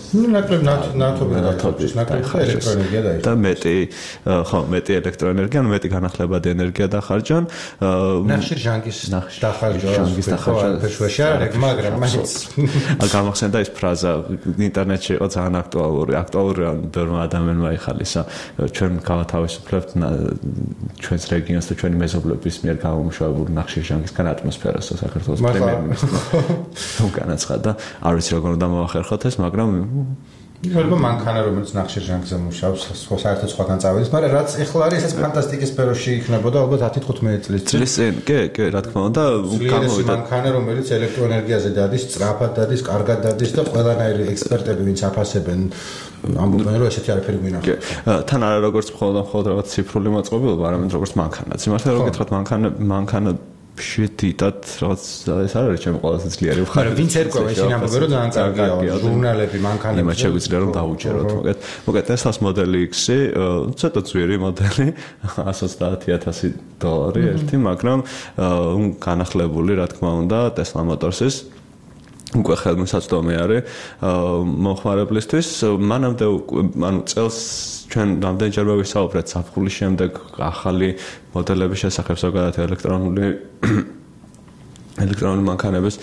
ნუ ნაკლებ ნათობი ნათობის ნაკლებ ელექტროენერგია დაიჭირა და მეტი ხო მეტი ელექტროენერგია, ანუ მეტი განახლებადი ენერგია დახარჯონ. ნახშირ ჟანგის დახარჯვა, ჟანგის დახარჯვა ფეშვეში არ არის, მაგრამ მაინც გამახსენდა ის ფრაზა ინტერნეტში იყო ძალიან აქტუალური, აქტუალური ბევრმა ადამიანმა იხალისა. ჩვენ გავათავისუფლებთ ჩვენს რეგიონს და ჩვენი მეზობლების მიერ გამომუშავებულ ნახშირ ჟანგისგან ატმოსფეროს საქართველოს პრემიერ-მინისტრმა განაცხადა. არ ვიცი როგორ უნდა მოახერხოთ ეს, მაგრამ შეიძლება მანქანა რომელიც ნახშირ ჟანგზე მუშაობს, საერთოდ სხვაგან წავედეს, მაგრამ რაც ეხლა არის, ეს ფანტასტიკის სფეროში იქნებოდა ალბათ ათი თხუთმეტი წლის წინ. კი, კი, რა თქმა უნდა, გამოვიდა მანქანა რომელიც ელექტროენერგიაზე დადის, სწრაფად დადის, კარგად დადის და ყველანაირი ექსპერტები ვინც აფასებენ ამბობენ რომ ესეთი არაფერი გვინახავს. კი. თან არა როგორც მხოლოდ მხოლოდ რაღაც ციფრული მოწყობილობა, არამედ როგორც მანქანაც. იმართლა რომ გითხრათ მანქანა მანქანა შედიდად რაღაც ეს არ არის ჩემი ყველაზე ძლიერი მხარე. მაგრამ ვინც ერკვევა ისინი ამბობენ რომ ძალიან კარგია ჟურნალები მანქანები. იმათ შეგვიძლია რომ დავუჯეროთ მოკეთ. მოკეთ Tesla-ს Model X-ი ცოტა ძვირი მოდელი ათს ოცდაათი ათასი დოლარი ერთი, მაგრამ განახლებული რა თქმა უნდა Tesla Motors-ის უკვე ხელმისაწვდომი არის მომხმარებლისთვის. მანამდე ანუ წელს ჩვენ რამდენჯერმე ვისაუბრეთ საფხულის შემდეგ ახალი მოდელების შესახებ ზოგადად ელექტრონული ელექტრონული მანქანების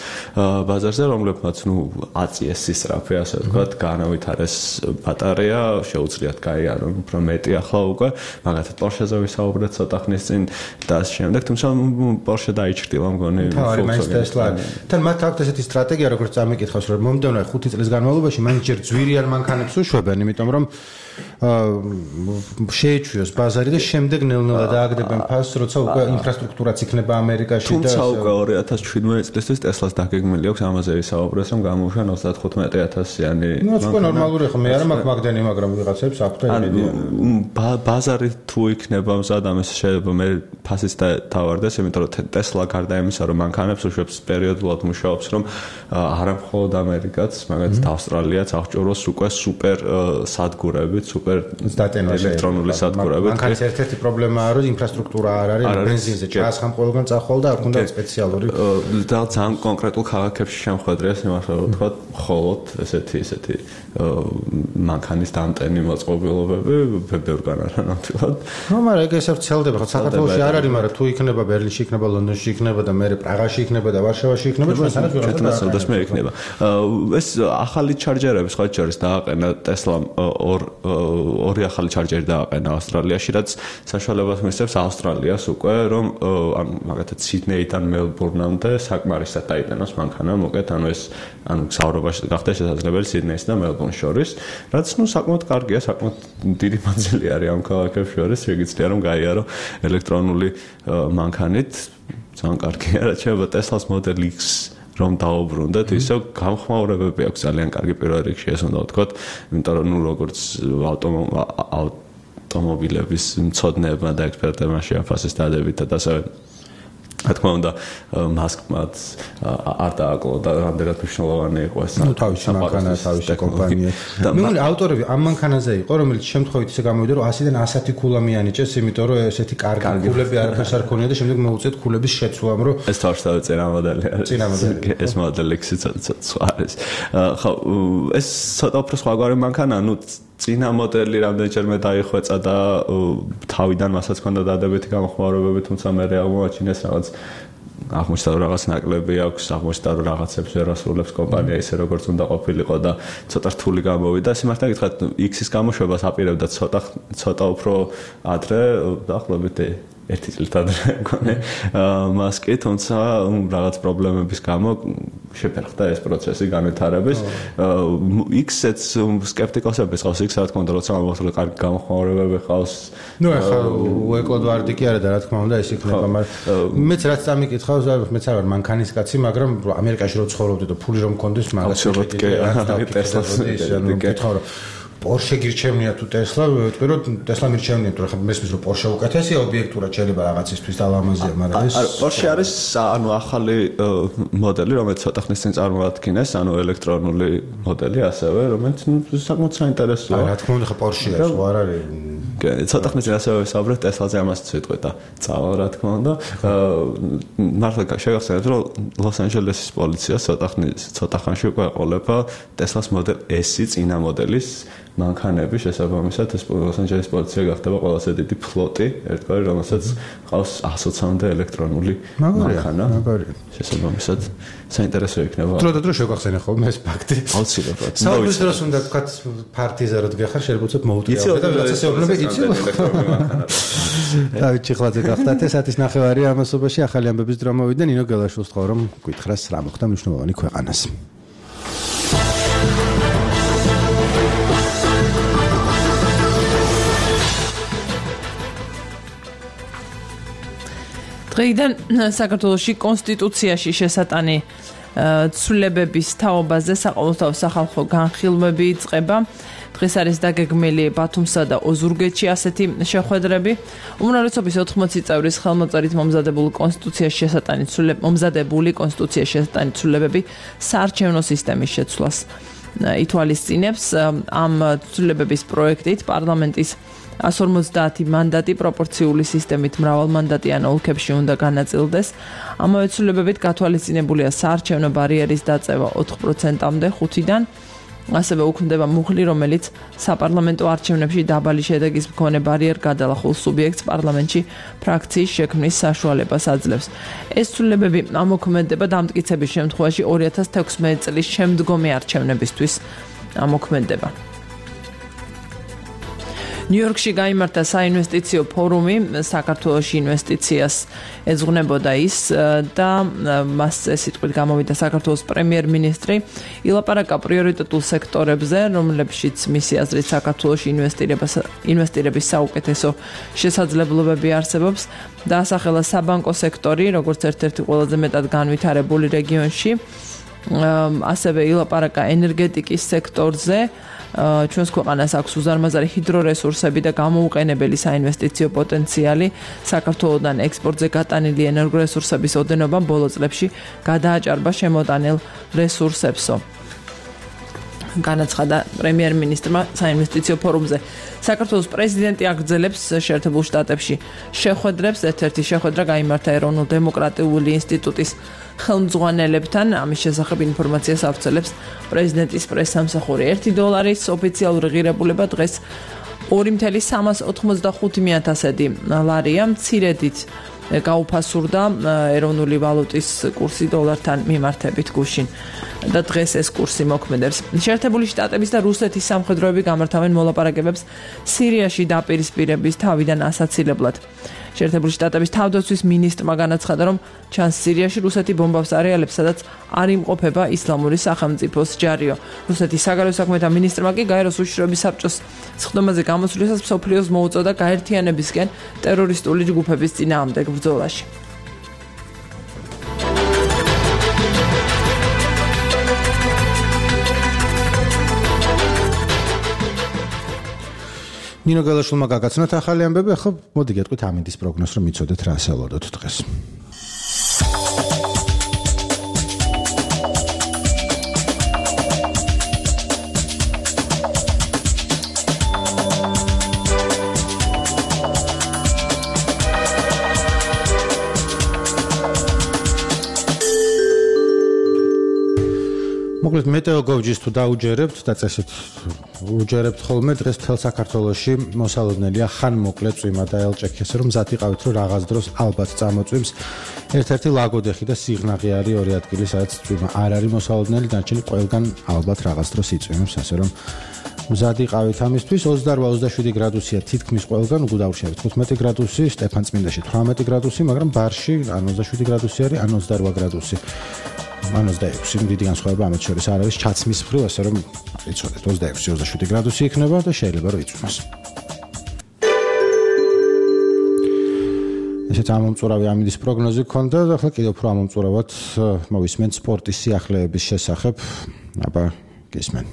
ბაზარზე, რომლებმაც ნუ აწიეს სისწრაფე, ასე ვთქვათ, განავითარეს ბატარეა, შეუძლიათ გაიარონ უფრო მეტი ახლა უკვე, მაგათაც Porsche-ზე ვისაუბრეთ ცოტა ხნის წინ და ამ შემდეგ, თუმცა Porsche დაიჭრილა მგონი Volkswagen. თან მათ აქვს ესეთი სტრატეგია, როგორც წამიკითხავს, რომ მომდევნო ხუთი წლის განმავლობაში მაინც ჯერ ძვირიან მანქანებს უშვებენ, იმიტომ რომ შეეჩვიოს ბაზარი და შემდეგ ნელ-ნელა დააგდებენ ფასს, როცა უკვე ინფრასტრუქტურაც იქნება ამერიკაში და თუმცა უკვე ორი ათას შვიდმეტი წლისთვის Tesla-ს დაგეგმილი აქვს ამაზე ვისაუბრეს, რომ გამოუშვა ოცდათხუთმეტი ათასიანი. ნუ უკვე ნორმალური ხო, მე არ მაქვს მაგდენი, მაგრამ ვიღაცებს აქვს და იდეა. ბაზარი თუ იქნება მზად ამას შეიძლება მე ფასიც დავარდეს, იმიტომ რომ Tesla გარდა იმისა, რომ მანქანებს უშვებს პერიოდულად მუშაობს, რომ არა მხოლოდ ამერიკაც, მაგალითად ავსტრალიაც აღჭურვოს უკვე სუპერ სადგურები სუპერ ელექტრონული სადგურები. მანქანის ერთ-ერთი პრობლემაა, რომ ინფრასტრუქტურა არ არის, ბენზინზე ჩაასხამ ყველგან წახვალ და არ ქონდა სპეციალური და ძალიან კონკრეტულ ქალაქებში შემოხვედრია იმას რომ ვთქვა, მხოლოდ ესეთი ესეთი მანქანის დამტენი მოწყობილობები ბევრგან არა ნამდვილად. ნუ მაგრამ ეგ ესე ვრცელდება, ხო საქართველოში არ არის, მაგრამ თუ იქნება ბერლინში, იქნება ლონდონში, იქნება და მე პრაღაში იქნება და ვარშავაში იქნება, ჩვენთანაც ჩვენთანაც მე იქნება. ეს ახალი ჩარჯერები სხვა შორის დააყენა Tesla ორ ორი ახალი ჩარჯერი დააყენა ავსტრალიაში, რაც საშუალებას მისცემს ავსტრალიას უკვე, რომ ანუ მაგათაც სიდნეიდან მელბურნამდე საკმარისად დაიტანოს მანქანა, მოკეთ, ანუ ეს ანუ საუბრობაში გახდა შესაძლებელი სიდნეის და მელბურნის შორის, რაც ნუ საკმაოდ კარგია, საკმაოდ დიდი მანძილი არის ამ ქალაქებს შორის, შეგიძლია რომ გაიარო ელექტრონული მანქანით, ძალიან კარგია, რაც შეიძლება Tesla-ს Model X რომ დაუბრუნდეთ, ისე გამხმაურებები აქვს ძალიან კარგი პირველ რიგში, ეს უნდა ვთქვათ, იმიტომ რომ ნუ როგორც ავტომობილების მცოდნეებმა და ექსპერტებმა შეაფასეს დადებითად, ასევე რა თქმა უნდა მასკმაც არ დააკლო და რამდენად მნიშვნელოვანი იყო ეს თავისი მანქანა, თავისი კომპანია. მე მგონი ავტორები ამ მანქანაზე იყო, რომელიც შემთხვევით ისე გამოვიდა, რომ ასიდან ასათი ქულა მიანიჭეს, იმიტომ რომ ესეთი კარგი ქულები არაფერს არ ქონია და შემდეგ მოუწიეთ ქულების შეცვლამ, რომ ეს თავშესავე წინა მოდელი არის. წინა მოდელი. ეს მოდელი X-ი სხვა არის. ხო, ეს ცოტა უფრო სხვაგვარი მანქანა, ნუ წინა მოდელი რამდენჯერმე დაიხვეწა და თავიდან მასაც ჰქონდა დადებითი გამოხმაურებები, თუმცა მე აღმოაჩინეს რაღაც აღმოჩნდა რომ რაღაც ნაკლები აქვს, აღმოჩნდა რომ რაღაცებს ვერ ასრულებს კომპანია ისე როგორც უნდა ყოფილიყო და ცოტა რთული გამოვიდა. სიმართლე გითხრათ, X-ის გამოშვებას აპირებდა ცოტა ცოტა უფრო ადრე, დაახლოებით ერთი წლით ადრე მქონე მასკი, თუმცა რაღაც პრობლემების გამო შეფერხდა ეს პროცესი განვითარების. იქცეც სკეპტიკოსები ყავს, იქ რა თქმა უნდა, როცა ამბობთ, რომ კარგი გამოხმაურებები ყავს. ნუ ეხლა უეკლოდ ვარდი კი არა და რა თქმა უნდა ეს იქნება, მაგრამ მეც რაც წამიკითხავს, მეც არ ვარ მანქანის კაცი, მაგრამ ამერიკაში რო ცხოვრობდი და ფული რომ მქონდეს, მაგას ტესლას კითხავ რომ Porsche გირჩევნია თუ Tesla, ვიტყვი რომ Tesla მირჩევნია, თუ ხა მესმის რომ Porsche უკეთესია ობიექტურად შეიძლება რაღაცისთვის დალამაზია, მაგრამ ეს Porsche არის ანუ ახალი მოდელი, რომელიც ცოტა ხნის წინ წარმოადგინეს, ანუ ელექტრონული მოდელი ასევე, რომელიც საკმაოდ საინტერესოა. რა თქმა უნდა, ხა Porsche-ია, ხო არ არის. ცოტა ხნის წინ ასევე ვისაუბრეთ Tesla-ზე ამასაც ვიტყვი და წავალ რა თქმა უნდა. მართლა შეგახსენებთ, რომ ლოს-ანჯელესის პოლიცია ცოტა ხნის ცოტა ხანში უკვე ეყოლება Tesla-ს მოდელ S-ი წინა მოდელის მანქანები შესაბამისად ეს ლოს-ანჯელესის პოლიცია გახდება ყველაზე დიდი ფლოტი, ერთგვარი, რომელსაც ყავს ასოცამდე ელექტრონული მანქანა. შესაბამისად საინტერესო იქნება. დრო და დრო შეგახსენე ხოლმე ეს ფაქტი. აუცილებლად. საუბრის დროს უნდა თქვათ ფარტიზე რო დგეხარ, შეგვიძლია მოუწევთ და რაღაცა შეეუბნება იცი. დავით ჩიხლაძე გახდათ ეს ათის ნახევარი ამასობაში ახალი ამბების დრო მოვიდა ნინო გელაშვილს თქო რომ გითხრას რა მოხდა მნიშვნელოვანი ქვეყანას. დღეიდან საქართველოში კონსტიტუციაში შესატანი ცვლილებების თაობაზე საყოველთაო სახალხო განხილვები იწყება. დღეს არის დაგეგმილი ბათუმსა და ოზურგეთში ასეთი შეხვედრები. უმრავლესობის ოთხმოცი წევრის ხელმოწერით მომზადებული კონსტიტუციაში შესატანი ცვლილებ მომზადებული კონსტიტუციაში შესატანი ცვლილებები საარჩევნო სისტემის შეცვლას ითვალისწინებს. ამ ცვლილებების პროექტით პარლამენტის one hundred forty მანდატი პროპორციული სისტემით მრავალმანდატიან ოლქებში უნდა განაწილდეს. ამავე ცვლილებებით გათვალისწინებულია საარჩევნო ბარიერის დაწევა ოთხ პროცენტამდე ხუთიდან. ასევე უქმდება მუხლი, რომელიც საპარლამენტო არჩევნებში დაბალი შედეგის მქონე ბარიერ გადალახულ სუბიექტს პარლამენტში ფრაქციის შექმნის საშუალებას აძლევს. ეს ცვლილებები ამოქმედება დამტკიცების შემთხვევაში ორი ათას თექვსმეტი წლის შემდგომი არჩევნებისთვის ამოქმედება. ნიუ-იორკში გაიმართა საინვესტიციო ფორუმი, საქართველოში ინვესტიციას ეძღვნებოდა ის და მასზე სიტყვით გამოვიდა საქართველოს პრემიერ-მინისტრი, ილაპარაკა პრიორიტეტულ სექტორებზე, რომლებშიც მისი აზრით საქართველოში ინვესტირების საუკეთესო შესაძლებლობები არსებობს, დაასახელა საბანკო სექტორი, როგორც ერთ-ერთი ყველაზე მეტად განვითარებული რეგიონში, ასევე ილაპარაკა ენერგეტიკის სექტორზე. ჩვენს ქვეყანას აქვს უზარმაზარი ჰიდრორესურსები და გამოუყენებელი საინვესტიციო პოტენციალი. საქართველოსთან ექსპორტზე გატანილი ენერგორესურსების ოდენობა ბოლო წლებში გადააჭარბა შემოტანილ რესურსებსო. განაცხადა პრემიერ-მინისტრმა საინვესტიციო ფორუმზე. საქართველოს პრეზიდენტი აგრძელებს შეერთებულ შტატებში შეხვედრებს. ერთ-ერთი შეხვედრა გაიმართა ეროვნულ დემოკრატიული ინსტიტუტის ხელმძღვანელებთან. ამის შესახებ ინფორმაციას ავრცელებს პრეზიდენტის პრესსამსახური. ერთი დოლარის ოფიციალური ღირებულება დღეს ორი წუთი სამას ოთხმოცდახუთი ათასედი ლარია. მცირედით გაუფასურდა ეროვნული ვალუტის კურსი დოლართან მიმართებით გუშინ და დღეს ეს კურსი მოქმედებს. შეერთებული შტატების და რუსეთის სამხედროები გამართავენ მოლაპარაკებებს სირიაში დაპირისპირების თავიდან ასაცილებლად. შეერთებული შტატების თავდაცვის მინისტრმა განაცხადა, რომ ჩანს სირიაში რუსეთი ბომბავს არეალებს, სადაც არ იმყოფება ისლამური სახელმწიფოს ჯარიო. რუსეთის საგარეო საქმეთა მინისტრმა კი გაეროს უშიშროების საბჭოს სხდომაზე გამოსვლისას მსოფლიოს მოუწოდა გაერთიანებისკენ ტერორისტული ჯგუფების წინააღმდეგ ბრძოლაში. ნინო გელაშვილმა გაგაცნოთ ახალი ამბები, ახლა მოდი გეტყვით ამინდის პროგნოზს, რომ იცოდეთ რა ასეულოდოთ დღეს. მოკლედ მეტეოგოვჯის თუ დაუჯერებთ და წესით უჯერებთ ხოლმე დღეს თელ საქართველოში მოსალოდნელია ხან მოკლე წვიმა და ელჭექი, ესე რომ მზად იყავით, რომ რაღაც დროს ალბათ წამოწვიმს. ერთ-ერთი ლაგოდეხი და სიღნაღი არის ორი ადგილი, სადაც წვიმა არ არის მოსალოდნელი, დანარჩენი ყველგან ალბათ რაღაც დროს იწვიმებს, ასე რომ მზადი ყავით ამისთვის. ოცდაოთხ ოცდაშვიდი გრადუსია თითქმის ყველგან, უკვე დავრჩებით თხუთმეტი გრადუსი, სტეფანწმინდაში თვრამეტი გრადუსი, მაგრამ ბარში ან ოცდაშვიდი გრადუსი არის, ან ოცდარვა გრადუსი. ან ოცდაექვსი, დიდი განსხვავება ამათ შორის არ არის ჩაცმის მხრივ, ასე რომ იცოდეთ, ოცდაექვსი ოცდაშვიდი გრადუსი იქნება და შეიძლება რომ იწვიმას. ესეც ამომწურავი ამინდის პროგნოზი გქონდა და ახლა კიდევ უფრო ამომწურავად მოვისმენთ სპორტის სიახლეების შესახებ. აბა გისმენ.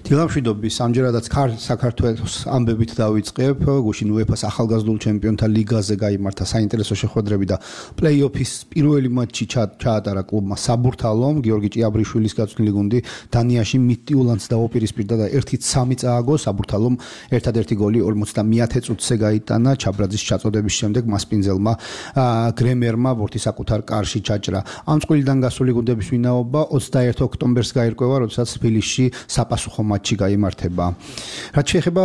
დილამშვიდობის ამჯერადაც საქართველოს ამბებით დავიწყებ. გუშინ უეფას ახალგაზრდულ ჩემპიონთა ლიგაზე გაიმართა საინტერესო შეხვედრები და პლეი-ოფის პირველი მატჩი ჩაატარა კლუბმა საბურთალომ. გიორგი ჭიაბრიშვილის გაწვრთნილი გუნდი დანიაში მიტიულანს დაუპირისპირდა და ერთით სამი წააგო. საბურთალომ ერთადერთი გოლი ორმოცდამეათე წუთზე გაიტანა. ჩაბრაძის ჩაწოდების შემდეგ მასპინძელმა გრემერმა ბურთი საკუთარ კარში ჩაჭრა. ამ წყვილიდან გასული გუნდების ვინაობა ოცდაერთი ოქტომბერს გაირკვევა, როდესაც თბილისში საპასუხო მატჩი გაიმართება. რაც შეეხება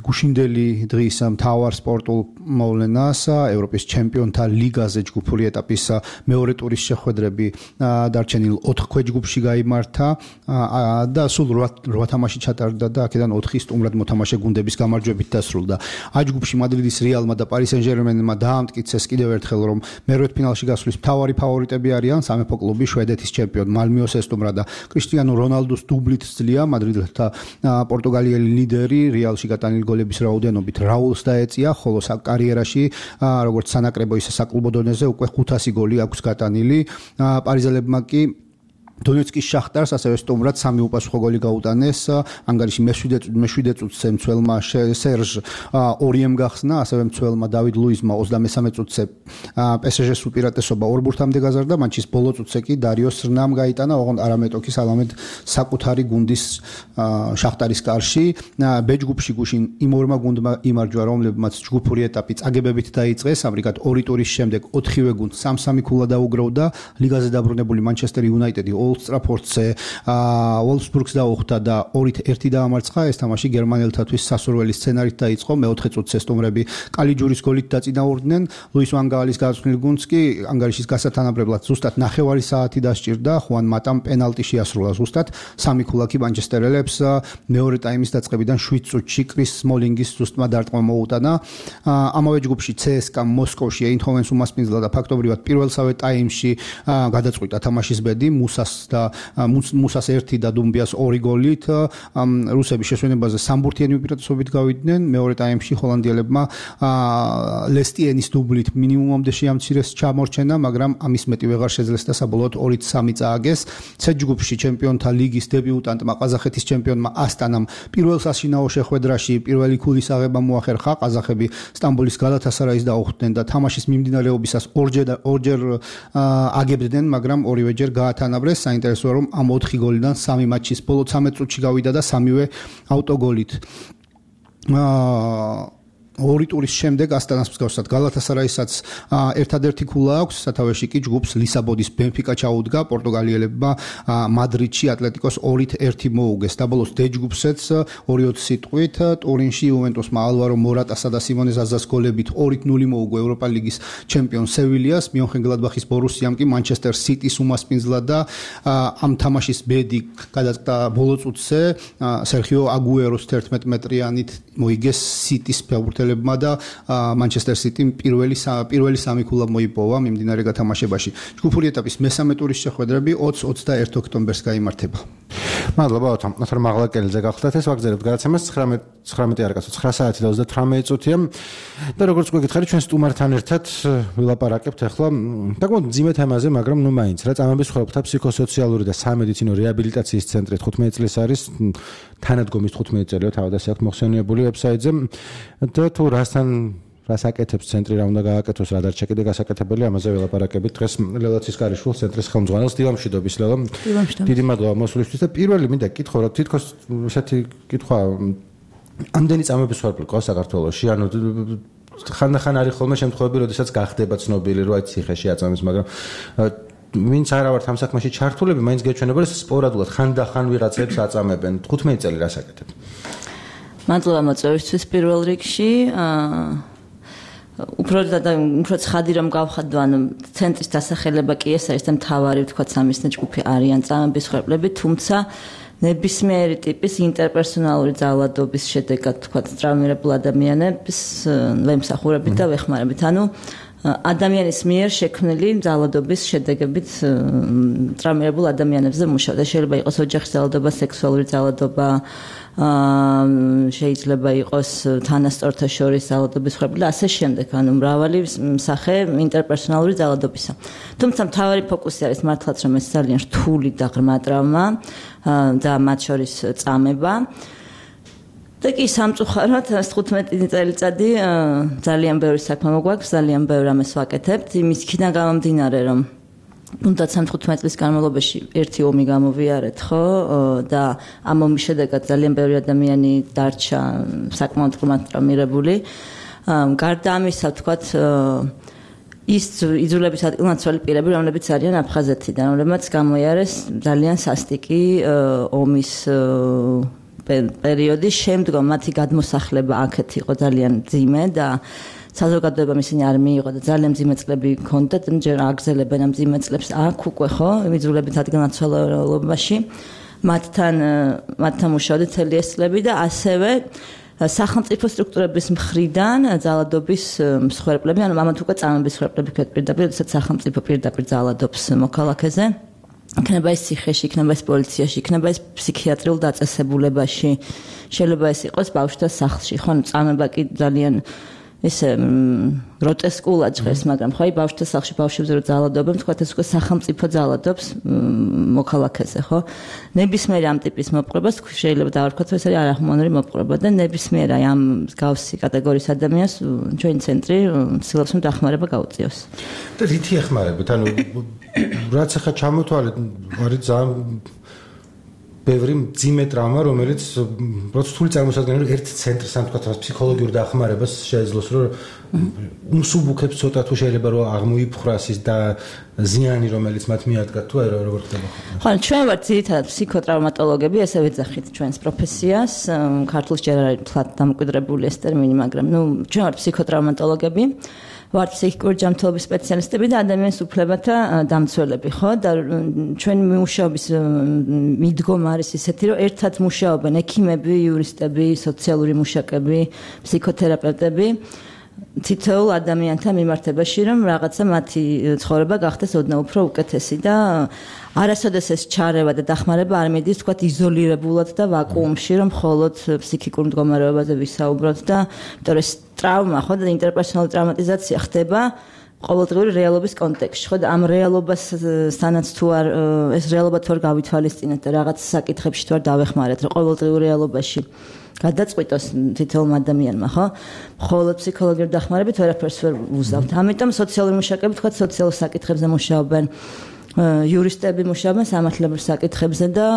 გუშინდელი დღის მთავარ სპორტულ მოვლენას, ევროპის ჩემპიონთა ლიგაზე ჯგუფური ეტაპის მეორე ტურის შეხვედრები დარჩენილ ოთხ ქვეჯგუფში გაიმართა და სულ რვა თამაში ჩატარდა და აქედან ოთხი სტუმრად მოთამაშე გუნდების გამარჯვებით დასრულდა. ა ჯგუფში მადრიდის რეალმა და პარი სენ-ჟერმენმა დაამტკიცეს კიდევ ერთხელ, რომ მერვედფინალში გასვლის მთავარი ფავორიტები არიან სამეფო კლუბი შვედეთის ჩემპიონ მალმიოს ესტუმრა და კრისტიანო რონალდუს დუბლით ძლია მადრიდელთა პორტუგალიელი ლიდერი რეალში გატანილი გოლების რაოდენობით რაულს დაეწია, ხოლო კარიერაში როგორც სანაკრებო ისე საკლუბო დონეზე უკვე ხუთასი გოლი აქვს გატანილი. პარიზელებმა კი დონეცკის შახტარს ასევე სტუმრად სამი უპასუხო გოლი გაუტანეს. ანგარიში მეშვიდე წუთზე მცველმა სერჟ ორიემ გახსნა, ასევე მცველმა დავიდ ლუისმა ოცდამესამე წუთზე პესეჟეს უპირატესობა ორ ბურთამდე გაზარდა. მატჩის ბოლო წუთზე კი დარიო სრნამ გაიტანა, ოღონდ არამეტოქი სალამედ საკუთარი გუნდის შახტარის კარში. ბ ჯგუფში გუშინ იმ ორმა გუნდმა იმარჯვა, რომლებმაც ჯგუფური ეტაპი წაგებებით დაიწყეს. ამრიგად ორი ტურის შემდეგ ოთხივე გუნდს სამ-სამი ქულა დაუგროვდა. ლიგაზე დაბრუნებული მანჩესტერ იუნაიტედი ოლდ ტრაფორდზე ვოლფსბურგს დაუხდა და ორით ერთი დაამარცხა. ეს თამაში გერმანელთათვის სასურველი სცენარით დაიწყო. მეოთხე წუთზე სტუმრები კალიჯურის გოლით დაწინაურდნენ. ლუის ვან გაალის გაწვრთნილ გუნდს კი ანგარიშის გასათანაბრებლად ზუსტად ნახევარი საათი დასჭირდა. ხუან მატამ პენალტი შეასრულა ზუსტად. სამი ქულა კი მანჩესტერელებს მეორე ტაიმის დაწყებიდან შვიდ წუთში კრის სმოლინგის ზუსტმა დარტყმა მოუტანა. ამავე ჯგუფში ცსკა მოსკოვში ეინჰოვენს უმასპინძლა და ფაქტობრივად პირველსავე ტაიმში გადაწყვიტა თამაშის ბედი. მუსას და მუსას ერთი და დუმბიას ორი გოლით რუსების შესვენებაზე სამბურთიანი უპირატესობით გავიდნენ. მეორე ტაიმში ჰოლანდიელებმა ლესტიენის დუბლით მინიმუმამდე შეამცირეს ჩამორჩენა, მაგრამ ამის მეტი ვეღარ შეძლეს და საბოლოოდ ორით სამი წააგეს. ცე ჯგუფში ჩემპიონთა ლიგის დებიუტანტმა ყაზახეთის ჩემპიონმა ასტანამ პირველ საშინაო შეხვედრაში პირველი ქულის აღება მოახერხა. ყაზახები სტამბოლის გალათასარაის დაუხვდნენ და თამაშის მიმდინარეობისას ორჯერ ორჯერ აგებდნენ, მაგრამ ორივეჯერ გაათანაბრეს. საინტერესოა, რომ ამ ოთხი გოლიდან სამი მატჩის ბოლო ცხრამეტ წუთში გავიდა და სამივე ავტოგოლით. აა ორი ტურის შემდეგ ასტანას მსგავსად გალათასარაისაც ერთადერთი ქულა აქვს. სათავეში კი ჯგუფს ლისაბონის ბენფიკა ჩაუდგა. პორტუგალიელებმა მადრიდში ატლეტიკოს ორით ერთი მოუგეს. დაბოლოს დ ჯგუფსეც ორი ოცი სიტყვით ტურინში იუვენტუსმა ალვარო მორატასა და სიმონე ზაზას გოლებით ორით ნული მოუგო ევროპა ლიგის ჩემპიონ სევილიას. მიონხენგლადბახის ბორუსიამ კი მანჩესტერ სიტის უმასპინძლა და ამ თამაშის ბედი გადაწყდა ბოლო წუთზე. სერხიო აგუეროს თერთმეტ მეტრიანით მოიგეს სიტის ფეხბურთელები და მანჩესტერ სიტიმ პირველი პირველი სამი ქულა მოიპოვა მიმდინარე გათამაშებაში. ჯგუფური ეტაპის მესამე ტურის შეხვედრები ოცი ოცდაერთი ოქტომბერს გაიმართება. მადლობა ოთამ. ნახე მაღლა კელზე გახდათ ეს ვაგზალებთ გადაცემას ცხრამეტი არ კაცო ცხრა საათი და ოცდათვრამეტი წუთია. და როგორც გვეკითხარი ჩვენ სტუმართან ერთად ვილაპარაკებთ ახლა საკმაოდ მძიმე თემაზე, მაგრამ ნუ მაინც რა წამების ხრობთა ფსიქოსოციალური და სამედიცინო რეაბილიტაციის ცენტრი თხუთმეტი წლის არის თანადგომის თხუთმეტი წელია თავად ასე აქვს მოხსენიებული ვებსაიტზე და თუ რასთან რას აკეთებს ცენტრი, რა უნდა გააკეთოს, რა დარჩა კიდე გასაკეთებელი, ამაზე ველაპარაკებით დღეს ლელა ცისკარიშვილს ცენტრის ხელმძღვანელს. დილამშვიდობის ლელა. დიდი მადლობა მოსვლისთვის და პირველი მინდა გითხო რა თითქოს ესეთი კითხვა ამდენი წამების ვარფლი ყავს საქართველოში, ანუ ხანდახან არის ხოლმე შემთხვევები, როდესაც გახდება ცნობილი, რომ აი ციხეში აწამეს, მაგრამ ვინც არა ვართ ამ საქმეში ჩართულები, მაინც გეჩვენება, რომ სპორადულად ხანდახან ვიღაცებს აწამებენ. თხუთმეტი წელი რას აკეთებ? მადლობა მოწვევისთვის პირველ რიგში. უფრო და უფრო ცხადი რომ გავხადო, ანუ ცენტრის დასახელება კი ეს არის და მთავარი ვთქვათ სამიზნე ჯგუფი არიან წამების ხვერპლები, თუმცა ნებისმიერი ტიპის ინტერპერსონალური ძალადობის შედეგად თქვა ტრავმირებულ ადამიანებს ვემსახურებით და ვეხმარებით. ანუ ადამიანის მიერ შექმნილი ძალადობის შედეგებით ტრავმირებულ ადამიანებზე მუშაობ და შეიძლება იყოს ოჯახის ძალადობა, სექსუალური ძალადობა, შეიძლება იყოს თანასწორთა შორის ძალადობის ხრები და ასე შემდეგ, ანუ მრავალი სახე ინტერპერსონალური ძალადობისა. თუმცა მთავარი ფოკუსი არის მართლაც რომ ეს ძალიან რთული და ღრმა ტრავმა და მათ შორის წამება. და კი სამწუხაროდ თხუთმეტი წელიწადი ძალიან ბევრი საქმე მოგვაქვს, ძალიან ბევრ ამას ვაკეთებთ, იმის იქიდან გამომდინარე რომ თუნდაც თხუთმეტი წლის განმავლობაში ერთი ომი გამოვიარეთ, ხო? და ამ ომის შედეგად ძალიან ბევრი ადამიანი დარჩა საკმაოდ ღრმად ტრავმირებული. გარდა ამისა, ვთქვათ, ის იძულების ადგილმაცვალი პირები, რომლებიც არიან აფხაზეთიდან, რომლებმაც გამოიარეს ძალიან სასტიკი ომის პერიოდის შემდგომ მათი გადმოსახლება აქეთ იყო ძალიან მძიმე და საზოგადოებამ ისინი არ მიიღო და ძალიან მძიმე წლები ჰქონდათ, ჯერ აგზელებენ ამ მძიმე წლებს აქ უკვე ხო, იძულებით ადგილმაცვალებობაში. მათთან მათთან მუშაობდი მთელი ეს წლები და ასევე სახელმწიფო სტრუქტურების მხრიდან ძალადობის მსხვერპლები, ანუ ამათ უკვე წამების მსხვერპლები ქვეთ პირდაპირ, როდესაც სახელმწიფო პირდაპირ ძალადობს მოქალაქეზე. იქნება ეს ციხეში, იქნება ეს პოლიციაში, იქნება ეს ფსიქიატრიულ დაწესებულებაში, შეიძლება ეს იყოს ბავშვთა სახლში, ხო, წამება კი ძალიან ესე გროტესკულად ჟღერს, მაგრამ ხო, ბავშვთა სახლში ბავშვებზე რო ძალადობენ, თქვათ ეს უკვე სახელმწიფო ძალადობს მოქალაქეზე, ხო? ნებისმიერ ამ ტიპის მოპყრობას შეიძლება დავარქვათ, ეს არის არახმოვანური მოპყრობა და ნებისმიერ ამ მსგავსი კატეგორიის ადამიანს ჩვენი ცენტრი ცდილობს რომ დახმარება გაუწიოს. და რითი ეხმარებით? ანუ რაც ახლა ჩამოთვალეთ, არის ძალიან ბევრი მძიმე ტრავმა, რომელიც პროცესული წარმოსადგენელი რომ ერთ ცენტრს ამ თქვა ფსიქოლოგიურ დახმარებას შეეძლოს, რომ მსუბუქებს ცოტა თუ შეიძლება რომ აღმოიფხრას ის და ზიანი რომელიც მათ მიადგა თუ არა როგორ ხდება ხო? ხო, ჩვენ ვართ ძირითადად ფსიქოტრაუმატოლოგები, ესე ვეძახით ჩვენს პროფესიას, ქართულში ჯერ არ არის თლად დამკვიდრებული ეს ტერმინი, მაგრამ ნუ ჩვენ ვართ ფსიქოტრაუმატოლოგები. ვართ ფსიქიკური ჯანმრთელობის სპეციალისტები და ადამიანის უფლებათა დამცველები, ხო? და ჩვენი მუშაობის მიდგომა არის ისეთი, რომ ერთად მუშაობენ ექიმები, იურისტები, სოციალური მუშაკები, ფსიქოთერაპევტები თითოეულ ადამიანთან მიმართებაში, რომ რაღაცა მათი ცხოვრება გახდეს ოდნავ უფრო უკეთესი და არასოდეს ეს ჩარევა და დახმარება არ მიდის, თქვათ, იზოლირებულად და ვაკუუმში, რომ მხოლოდ ფსიქიკურ მდგომარეობაზე ვისაუბროთ და იმიტომ რომ ეს ტრავმა, ხო, და ინტერპერსონალური ტრავმატიზაცია ხდება ყოველდღიური რეალობის კონტექსტში, ხო, და ამ რეალობასთანაც თუ არ ეს რეალობა თუ არ გავითვალისწინეთ და რაღაც საკითხებში თუ არ დავეხმარეთ, რომ ყოველდღიურ რეალობაში გადაწყვიტოს თითოეულ ადამიანმა, ხო? მხოლოდ ფსიქოლოგიური დახმარებით ვერაფერს ვერ უზავთ. ამიტომ სოციალური მუშაკები, თქვათ, სოციალურ საკითხებზე მუშაობენ, იურისტები მუშაობენ სამართლებრივ საკითხებზე და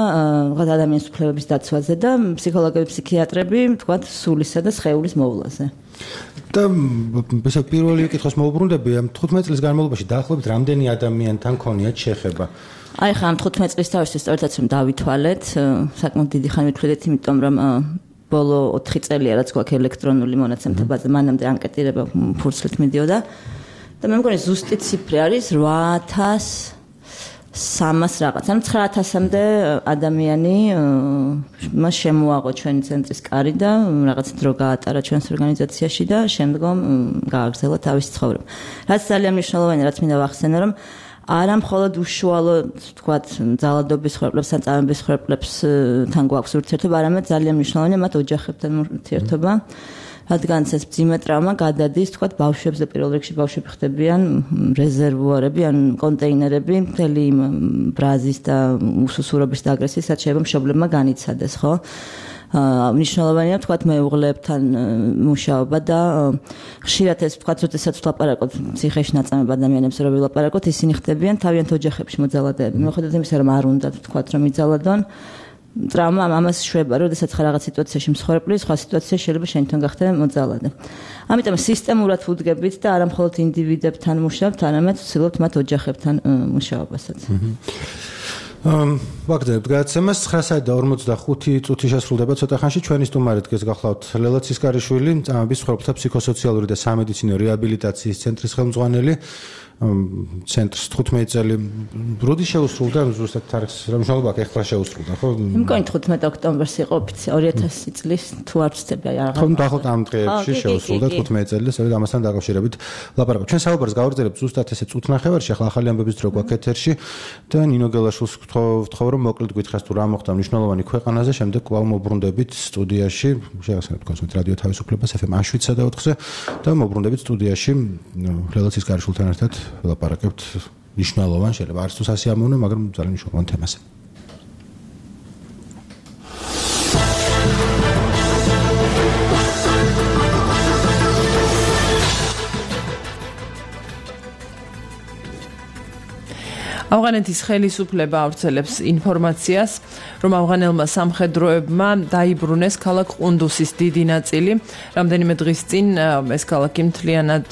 თქვათ ადამიანის უფლებების დაცვაზე და ფსიქოლოგები, ფსიქიატრები, თქვათ, სულისა და სხეულის მოვლაზე. და ესე პირველი კითხვის მოუბრუნდები, ამ თხუთმეტი წლის განმავლობაში დაახლოებით რამდენი ადამიანთან ქონიათ შეხება? აი ხა ამ თხუთმეტი წლის თავისთვის სწორედაც რომ დავითვალეთ, საკმაოდ დიდი ხანი ვითვლით, იმიტომ რომ ბოლო ოთხი წელია რაც გვაქვს ელექტრონული მონაცემთა ბაზა, მანამდე ანკეტირება ფურცლით მიდიოდა და მე მგონი ზუსტი ციფრი არის რვა ათას სამას რაღაც, ანუ ცხრა ათასამდე ადამიანი მას შემოაღო ჩვენი ცენტრის კარი და რაღაც დრო გაატარა ჩვენს ორგანიზაციაში და შემდგომ გააგრძელა თავისი ცხოვრება. რაც ძალიან მნიშვნელოვანია, რაც მინდა ვახსენო, რომ არა მხოლოდ უშუალო, თქვათ, ძალადობის ხრებლებს ან წამების ხრებლებსთან გვაქვს ურთიერთობა, არამედ ძალიან მნიშვნელოვანია მათ ოჯახებთან ურთიერთობა. რადგან ეს მძიმე ტრავმა გადადის, თქვათ, ბავშვებზე, პირველ რიგში ბავშვები ხდებიან რეზერვუარები, ან კონტეინერები, მთელი იმ ბრაზის და უსუსურობის და აგრესიის, რაც შეიძლება მშობლებმა განიცადეს, ხო? მნიშვნელოვანია, თქვათ, მეუღლეებთან მუშაობა და ხშირად ეს, თქვათ, როდესაც ვლაპარაკობთ ციხეში ნაწამებ ადამიანებს, რომ ვილაპარაკოთ, ისინი ხდებიან თავიანთ ოჯახებში მოძალადეები. მიუხედავად იმისა, რომ არ უნდათ, თქვათ, რომ იძალადონ, ტრავმა ამას შვება, როდესაც ხარ რაღაც სიტუაციაში მსხვერპლი, სხვა სიტუაციაში შეიძლება შენთან გახდე მოძალადე. ამიტომ სისტემურად ვუდგებით და არა მხოლოდ ინდივიდებთან მუშაობთ, არამედ ვცდილობთ მათ ოჯახებთან მუშაობასაც. ამ ვაგდებთ გადაცემას ცხრა საათი და ორმოცდახუთი წუთი შესრულდება ცოტა ხანში. ჩვენი სტუმარი დგეს გახლავთ ლელა ცისკარიშვილი, წამების მსხვერპლთა ფსიქოსოციალური და სამედიცინო რეაბილიტაციის ცენტრის ხელმძღვანელი. ცენტრს თხუთმეტი წელი როდი შეუსრულდა ზუსტად თარიღს რა მნიშვნელობა აქვს ეხლა შეუსრულდა ხო? მე მგონი თხუთმეტი ოქტომბერს იყო ოფიციალურად ორი ათასი წლის თუ არ ვცდები რა. ხო დაახლოებით ამ დღეებში შეუსრულდა თხუთმეტი წელი სწორედ ამასთან დაკავშირებით ლაპარაკობ. ჩვენ საუბარს გავაგრძელებთ ზუსტად ესე წუთნახევარში ახლა ახალი ამბების დრო გვაქვს ეთერში და ნინო გელაშვილს ვთხოვ რომ მოკლედ გითხრას თუ რა მოხდა მნიშვნელოვანი ქვეყანაზე შემდეგ კვლავ მოbrunდებით სტუდიაში შეგახსენებთ კონსულტ რადიო თავისუფლებას ეფ ემ შვიდსა და ოთხზე და მოbrunდებით სტუდიაში ლელა ცისკარიშვილთან ერთად ვლაპარაკებთ მნიშვნელოვან შეიძლება არც თუ სასიამოვნო მაგრამ ძალიან მნიშვნელოვან თემაზე. ავღანეთის ხელისუფლება ავრცელებს ინფორმაციას, რომ ავღანელმა სამხედროებმა დაიბრუნეს ქალაქ ყუნდუსის დიდი ნაწილი. რამდენიმე დღის წინ ეს ქალაქი მთლიანად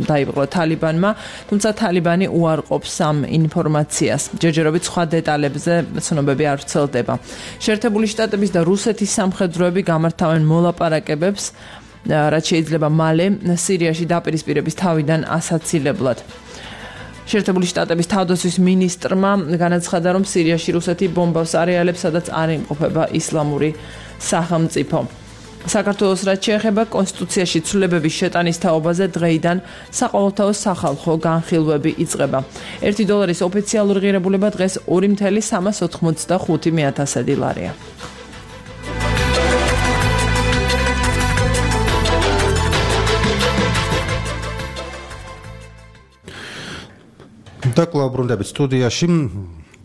დაიპყრო თალიბანმა, თუმცა თალიბანი უარყოფს ამ ინფორმაციას. ჯერჯერობით სხვა დეტალებზე ცნობები არ ვრცელდება. შეერთებული შტატების და რუსეთის სამხედროები გამართავენ მოლაპარაკებებს, რაც შეიძლება მალე სირიაში დაპირისპირების თავიდან ასაცილებლად. შეერთებული შტატების თავდაცვის მინისტრმა განაცხადა, რომ სირიაში რუსეთი ბომბავს არეალებს, სადაც არ იმყოფება ისლამური სახელმწიფო. საქართველოს რაც შეეხება კონსტიტუციაში ცვლილებების შეტანის თაობაზე დღეიდან საყოველთაო სახალხო განხილვები იწყება. ერთი დოლარის ოფიციალური ღირებულება დღეს ორი მცდროა სამას ოთხმოცდახუთი ათასადი ლარია. და კვლავ ბრუნდებით სტუდიაში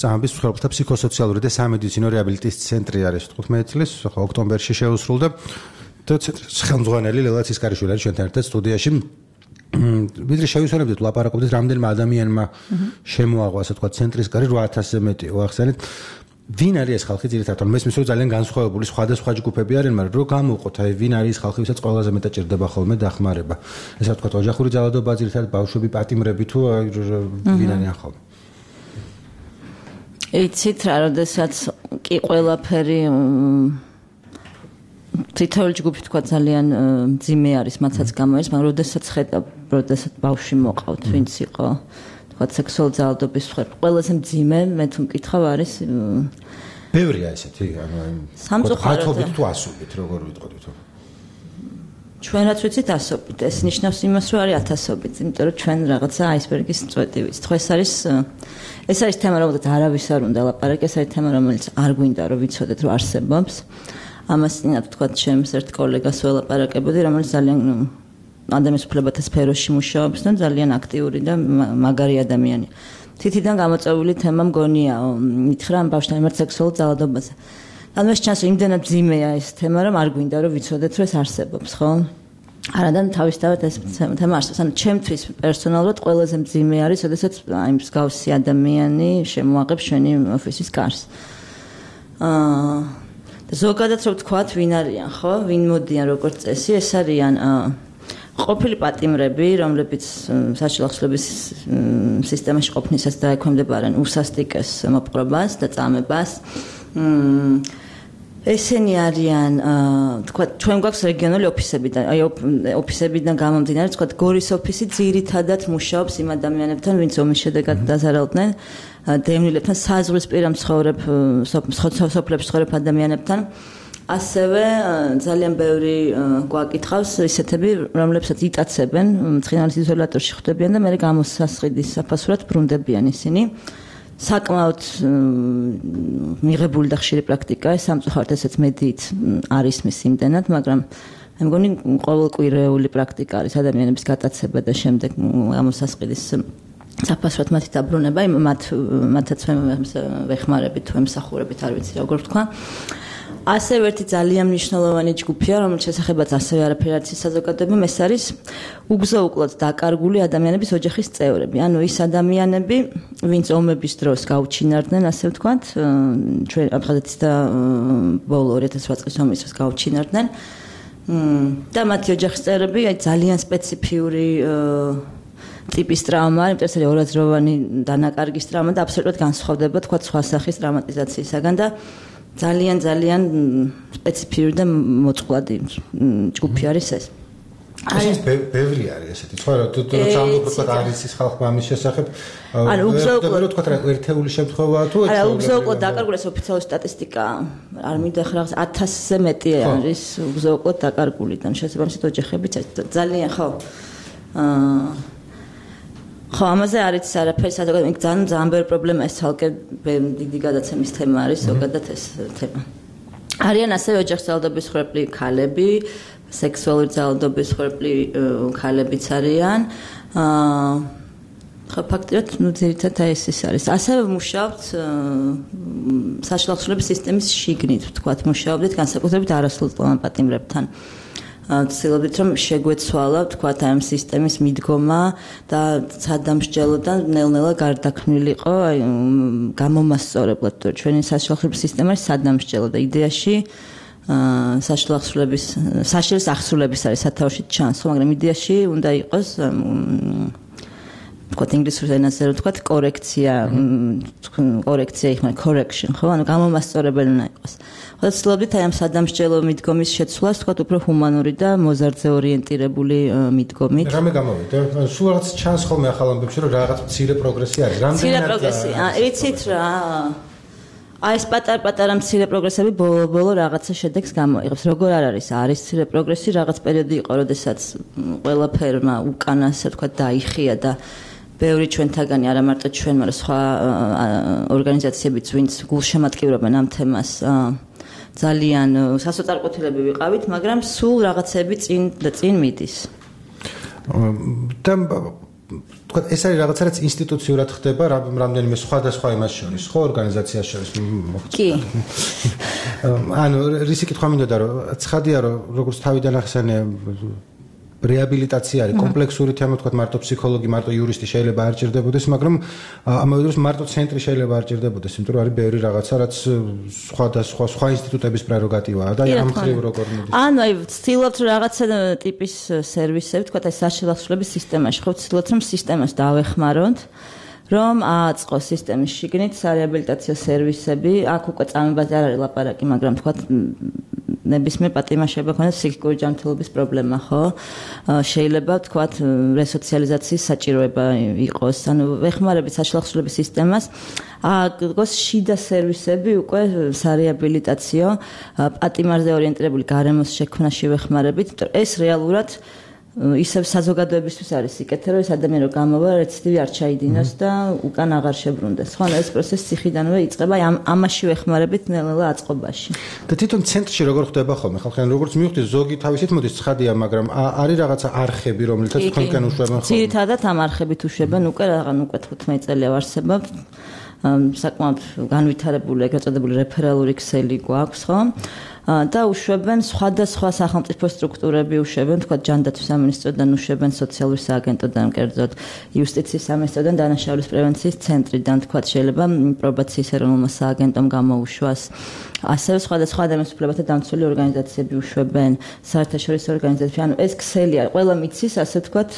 წამების მსხვერპლთა ფსიქოსოციალური და სამედიცინო რეაბილიტაციის ცენტრი არის თხუთმეტი წლის ოქტომბერში შეუსრულდა და ცენტრის ხელმძღვანელი ლელა ცისკარიშვილი არის ჩვენთან ერთად სტუდიაში. ვიდრე შევისვენებდით ლაპარაკობდით რამდენმა ადამიანმა შემოაღვა ასე თქვა ცენტრის კარი რვა ათასზე მეტი ვახსენეთ. ვინ არის ეს ხალხი ძირითადად? მესმის რომ ძალიან განსხვავებული სხვადასხვა ჯგუფები არიან, მაგრამ რო გამოვყოთ აი ვინ არის ეს ხალხი, ვისაც ყველაზე მეტად ჭირდება ხოლმე დახმარება. ესე ვთქვათ, ოჯახური ძალადობა ძირითადად ბავშვები, პატიმრები თუ ვინ არიან ხოლმე. იცით რა, როდესაც კი ყველაფერი თითოეული ჯგუფი თქვა ძალიან მძიმე არის, მათაც გამოერს, მაგრამ როდესაც ხედავ, როდესაც ბავშვი მოყავთ, ვინც იყო ვთქვათ სექსუალური ძალადობის მსხვერპლი ყველაზე მძიმე მე თუ მკითხავ არის ბევრია ესეთი ანუ სამწუხაროდ თუ ასობით როგორ ვიტყოდით ჩვენ რაც ვიცით ასობით ეს ნიშნავს იმას რომ არის ათასობით იმიტომ რომ ჩვენ რაღაცა აისბერგის წვეტი ვიცით ხო ეს არის ეს არის თემა რომელზეც არავის არ უნდა ლაპარაკი ეს არის თემა რომელიც არ გვინდა რომ ვიცოდეთ რომ არსებობს ამას წინათ ვთქვათ ჩემს ერთ კოლეგას ველაპარაკებოდი რომელიც ძალიან ადამიანის უფლებათა სფეროში მუშაობს და ძალიან აქტიური და მაგარი ადამიანია. თითიდან გამოწვეული თემა მგონია, მითხრა ამ ბავშვთან მიმართ სექსუალურ ძალადობაზე. ანუ ეს ჩანს იმდენად ძიმეა ეს თემა, რომ არ გვინდა რომ ვიცოდეთ, რომ ეს არსებობს, ხო? არადან თავისთავად ეს თემა არსებობს. ანუ ჩემთვის პერსონალურად ყველაზე მძიმე არის, როდესაც აი მსგავსი ადამიანი შემოაღებს ჩვენი ოფისის კარს. აა ზოგადად რო ვთქვათ, ვინ არიან, ხო? ვინ მოდიან როგორც წესი, ეს არიან აა ყოფილი პატიმრები, რომლებიც საჭირო ხსლების სისტემაში ყოფნისას დაექვემდებარებიან უსასტიკეს მოპყრობას და წამებას. ესენი არიან, თქვა, ჩვენ გვაქვს რეგიონული ოფისებიდან, აი ოფისებიდან გამომდინარე, თქვა, გორის ოფისი ძირითადად მუშაობს იმ ადამიანებთან, ვინც ომის შედეგად დაზარალდნენ, დევნილებთან, საზღვრისპირა მცხოვრებ სოფლებში მცხოვრებ ადამიანებთან. ასევე ძალიან ბევრი გვაკითხავს ისეთები, რომლებსაც იტაცებენ, მცხინალის იზოლატორში ხვდებიან და მერე გამოსასყიდის საფასურად ბრუნდებიან ისინი. საკმაოდ მიღებული და ხშირი პრაქტიკაა, სამწუხაროდ ესეც მედიით არის მის იმდენად, მაგრამ მე მგონი ყოველკვირეული პრაქტიკა არის ადამიანების გატაცება და შემდეგ გამოსასყიდის საფასურად მათი დაბრუნება, მათ მათაც ვეხმარებით თუ ემსახურებით, არ ვიცი როგორ ვთქვა. ასევე ერთი ძალიან მნიშვნელოვანი ჯგუფია, რომელიც შესახებაც ასევე არაფერი არ იცის საზოგადოებამ, ეს არის უგზო-უკლოდ დაკარგული ადამიანების ოჯახის წევრები. ანუ ის ადამიანები, ვინც ომების დროს გაუჩინარდნენ, ასე ვთქვათ, ჩვენ აფხაზეთის და ბოლო ორი ათას ოთხ წლის ომის დროს გაუჩინარდნენ. და მათი ოჯახის წევრები აი ძალიან სპეციფიური ტიპის ტრავმა, იმიტომ რომ ორაზროვანი დანაკარგის ტრავმა და აბსოლუტურად განსხვავდება, თქვა, სხვა სახის ტრამატიზაციისაგან და ძალიან ძალიან სპეციფიური და მოწყვლადი ჯგუფი არის ეს. ეს ბევრი არის ესეთი სხვა რა თუ როცა ამბობ თქვა არის ის ხალხმა ამის შესახებ ანუ უგზავნო თქვა რა ერთეული შემთხვევაა თუ არა უგზავნო დაკარგული ოფიციალური სტატისტიკა არ მინდა ხარ ათასზე მეტი არის უგზავნო დაკარგული და შესაბამისად ოჯახებიც ძალიან ხო აა ხო ამაზე არის არაფერი სადღაც იქ ძალიან ძალიან ბევრი პრობლემა ეს თალკე დიდი გადაცემის თემა არის ზოგადად ეს თემა არიან ასევე ოჯახსავალდობის ხვრეპლი ქალები სექსუალური ძალადობის ხვრეპლი ქალებიც არიან აა ხო ფაქტიურად ნუ ძირითადად ეს ის არის ასევე მუშაობთ საშუალო ხსნების სისტემის შიგნით ვთქვათ მუშაობდით განსაკუთრებით არასრულწლოვან პატიმრებთან ცდილობდით რომ შეგვეცვალა ვთქვათ ამ სისტემის მიდგომა და სადამსჯელოდან ნელ-ნელა გარდაქმნილიყო აი გამომასწორებლად თუ ჩვენი საშუალო ხსნების სისტემა არის სადამსჯელო და იდეაში აა საშუალო ახსრულების საშუალო ახსრულების არის სათავეში ჩანს ხო მაგრამ იდეაში უნდა იყოს ვთქვათ ინგლისურ ენაზე რომ ვთქვათ კორექცია კორექცია იქნება correction ხო ანუ გამომასწორებელი უნდა იყოს ხო ცდილობდით აი ამ სადამსჯელო მიდგომის შეცვლას ვთქვათ უფრო ჰუმანური და მოზარდზე ორიენტირებული მიდგომით რამე გამოვიდა სულ რაღაც ჩანს ხოლმე ახალ ამბებში რომ რაღაც მცირე პროგრესი არის რამდენად მცირე პროგრესი აა იცით რა აი ეს პატარ-პატარა მცირე პროგრესები ბოლო-ბოლო რაღაცა შედეგს გამოიღებს. როგორ არ არის? არის მცირე პროგრესი, რაღაც პერიოდი იყო, როდესაც ყველაფერმა უკან ასე თქვა დაიხია და ბევრი ჩვენთაგანი, არა მარტო ჩვენ, მაგრამ სხვა ორგანიზაციებიც, ვინც გულშემატკივრობენ ამ თემას, ძალიან სასოწარკვეთილები ვიყავით, მაგრამ სულ რაღაცები წინ და წინ მიდის. და თქვა ეს არის რაღაცა რაც ინსტიტუციურად ხდება რამდენიმე სხვადასხვა იმას შორის ხო ორგანიზაციას შორის კი ანუ რისი კითხვა მინდოდა რომ ცხადია რომ როგორც თავიდან ახსენე რეაბილიტაცია არის კომპლექსური თემა თქვა მარტო ფსიქოლოგი მარტო იურისტი შეიძლება არ ჭირდებოდეს მაგრამ ამავე დროს მარტო ცენტრი შეიძლება არ ჭირდებოდეს იმიტომ რომ არის ბევრი რაღაცა რაც სხვადასხვა სხვა ინსტიტუტების პრეროგატივაა და ამ ხრივ როგორ მოდის ანუ აი ვცდილობთ რაღაცა ტიპის სერვისები თქვა აი საშუალო ახსრულების სისტემაში ხო ვცდილობთ რომ სისტემას დავეხმაროთ რომ ააწყოს სისტემის შიგნით სარეაბილიტაციო სერვისები აქ უკვე წამებაზე არ არის ლაპარაკი მაგრამ თქვა ნებისმიერ პატიმარს შეიძლება ქონდეს ფსიქიკური ჯანმრთელობის პრობლემა, ხო? შეიძლება ვთქვათ, რესოციალიზაციის საჭიროება იყოს, ანუ ვეხმარებით საშუალო ახსრულების სისტემას, აგოს შიდა სერვისები უკვე სარეაბილიტაციო პატიმარზე ორიენტირებული გარემოს შექმნაში ვეხმარებით, იმიტომ ეს რეალურად ისევ საზოგადოებისთვის არის სიკეთე, რომ ეს ადამიანი რო გამოვა, რეციდივი არ ჩაიდინოს და უკან აღარ შებრუნდეს. ხო, ეს პროცესი ციხიდანვე იწყება, ამ ამაში ვეხმარებით ნელ-ნელა აწყობაში. და თვითონ ცენტრში როგორ ხდება ხოლმე? ხალხი როგორც მივხვდი, ზოგი თავისით მოდის ცხადია, მაგრამ არის რაღაცა არხები, რომელთაც თქვენკენ უშვებენ ხოლმე. ძირითადად ამ არხებით უშვებენ უკვე რაღაც უკვე თხუთმეტ წელია ვარსებობთ. საკმაოდ განვითარებული, ეგრეთ წოდებული რეფერალური ქსელი გვაქვს, ხო? და უშვებენ სხვადასხვა სახელმწიფო სტრუქტურები უშვებენ, თქვა ჯანდაცვის სამინისტროდან უშვებენ, სოციალური სააგენტოდან, კერძოდ იუსტიციის სამინისტროდან, დანაშაულის პრევენციის ცენტრიდან, თქვა შეიძლება პრობაციის ეროვნულმა სააგენტომ გამოუშვას. ასევე სხვადასხვა ადამიანის უფლებათა დამცველი ორგანიზაციები უშვებენ, საერთაშორისო ორგანიზაციები. ანუ ეს ქსელი არის, ყველა მიცის, ასე ვთქვათ,